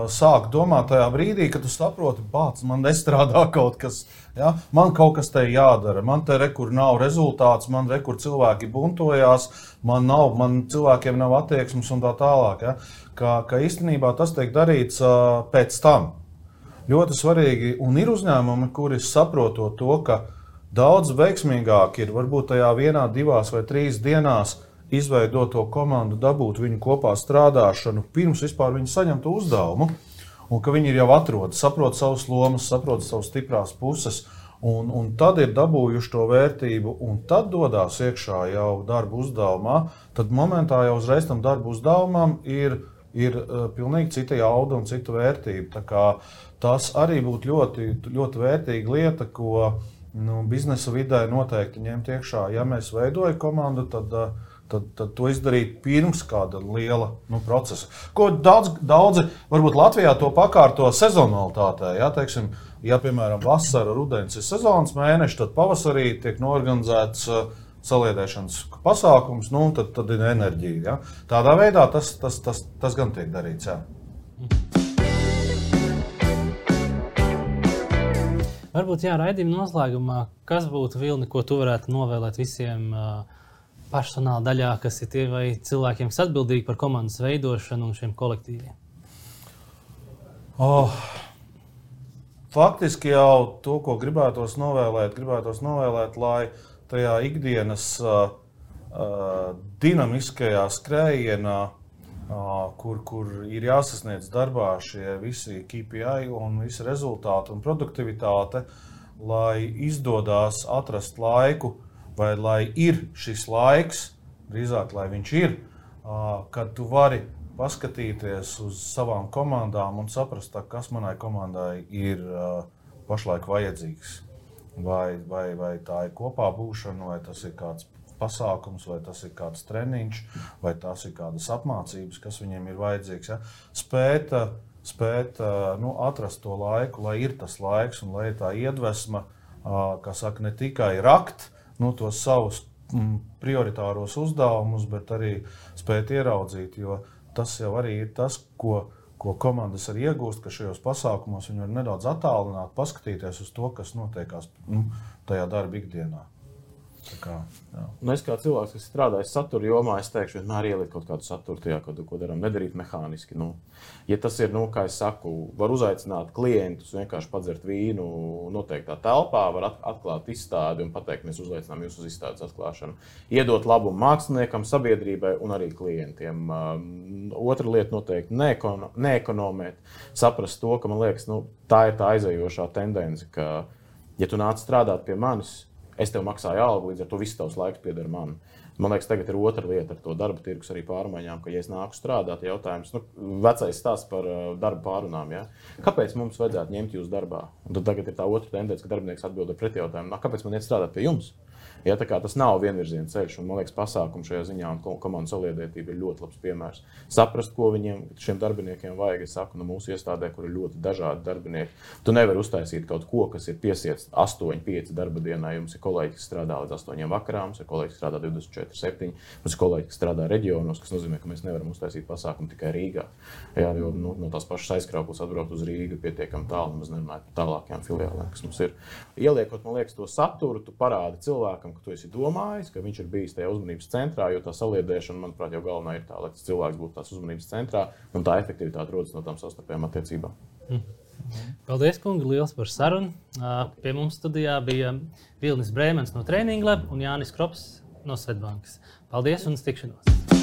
sāk domāt tajā brīdī, kad tu saproti, bāc, man nestrādā kaut kas, ja? Man kaut kas te jādara, man te rekur nav rezultāts, man rekur cilvēki buntojās, man cilvēkiem nav attieksmes un tā tālāk. Ja? Ka īstenībā tas tiek darīts pēc tam. Ļoti svarīgi, un ir uzņēmumi, kuri saprotot to, ka daudz veiksmīgāk ir varbūt tajā 1, 2 vai 3 dienās izveidot to komandu, dabūt viņu kopā strādāšanu, pirms vispār viņi saņem to uzdevumu, un ka viņi ir jau atrodi, saprot savas lomas, saprot savas stiprās puses, un tad ir dabūjuši to vērtību, un tad dodās iekšā jau darba uzdevumā, tad momentā jau uzreiz tam darba uzdevumam ir pilnīgi cita jauda un cita vērtība. Tā kā tas arī būtu ļoti, ļoti vērtīga lieta, ko biznesa vidē noteikti ņemt iekšā. Ja mēs veidojam komandu, tad to izdarīt pirms kāda liela procesa. Ko daudzi varbūt Latvijā to pakārto sezonalitātē. Ja, teiksim, ja piemēram vasara, rudens ir sezonas mēneši, tad pavasarī tiek norganizēts saliedēšanas pasākums, tad ir enerģija. Ja. Tādā veidā tas gan tiek darīts. Ja. Varbūt raidījuma noslēgumā, kas būtu, Vilni, ko tu varētu novēlēt visiem personāla daļā, kas ir tie vai cilvēkiem, kas atbildīgi par komandas veidošanu un šiem kolektīviem? Faktiski jau to, ko gribētos novēlēt, lai tajā ikdienas dinamiskajā skrējienā, kur ir jāsasniedz darbā šie visi KPI un visi rezultāti un produktivitāte, lai izdodās atrast laiku, vai lai ir šis laiks, drīzāk, lai viņš ir, kad tu vari paskatīties uz savām komandām un saprast, kas manai komandai ir pašlaik vajadzīgs. Vai tā ir kopā būšana, vai tas ir kāds pasākums, vai tas ir kāds treniņš, vai tas ir kādas apmācības, kas viņiem ir vajadzīgs. Ja? Spēt atrast to laiku, lai ir tas laiks un lai ir tā iedvesma, kā saka, ne tikai rakt, tos savus prioritāros uzdevumus, bet arī spēt ieraudzīt, jo tas jau arī ir tas, ko komandas arī iegūst, ka šajos pasākumos viņi var nedaudz attālināt, paskatīties uz to, kas notiekās tajā darba ikdienā. Es kā cilvēks, kas strādājis satura jomā, es teikšu, vienmēr ielikt kaut kādu saturu tajā, ko darām, nedarīt mehāniski. Ja tas ir, kā es saku, var uzaicināt klientus, vienkārši padzert vīnu noteiktā telpā, var atklāt izstādi un pateikt, mēs uzaicinām jūs uz izstādes atklāšanu. Iedot labumu māksliniekam, sabiedrībai un arī klientiem. Otra lieta noteikti neekonomēt, saprast to, ka man liekas, tā ir tā aizējošā tendence, ka, ja tu nāc strādāt pie manis, es tev maksāju algu, līdz ar to viss tavs laiks pieder man. Man liekas, tagad ir otra lieta ar to darba tirgus arī pārmaiņām, ka, ja es nāku strādāt, jautājums, vecais stāsts par darba pārunām, ja? Kāpēc mums vajadzētu ņemt jūs darbā? Un tad tagad ir tā otra tendence, ka darbinieks atbild ar pretjautājumu, kāpēc man iet strādāt pie jums? Ja, tā kā tas nav vienvirziena ceļš, un man liekas, pasākumu šajā ziņā un komandas saliedētība ir ļoti labs piemērs. Saprast, ko šiem darbiniekiem vajag, es saku, mūsu iestādē, kur ir ļoti dažādi darbinieki. Tu nevari uztaisīt kaut ko, kas ir piesiets 8-5 darba dienā. Jums ir kolēģi, kas strādā līdz 8 vakarā, mums ir kolēģi, kas strādā 24/7, mums ir kolēģi, kas strādā reģionos, kas nozīmē, ka mēs nevaram uztaisīt pasākumu tikai Rīgā. Jā, jo no tās pašas aizkrauklas atbraukt uz Rīgu pietiekami tālu, nemaz nerunājot par tālākajām filiālēm, kas mums ir. Ieliekot, man liekas, to saturu, tu parādi cilvēkam, ka tu esi domājis, ka viņš ir bijis tajā uzmanības centrā, jo tā saliedēšana, manuprāt, jau galvenā ir tā, lai tas cilvēks būtu tās uzmanības centrā, un tā efektivitāte rodas no tām savstarpējām attiecībām. Paldies, kungi, liels par sarunu. Pie mums studijā bija Vilnis Brēmens no Training Lab un Jānis Krops no Svetbankas. Paldies un uz tikšanos!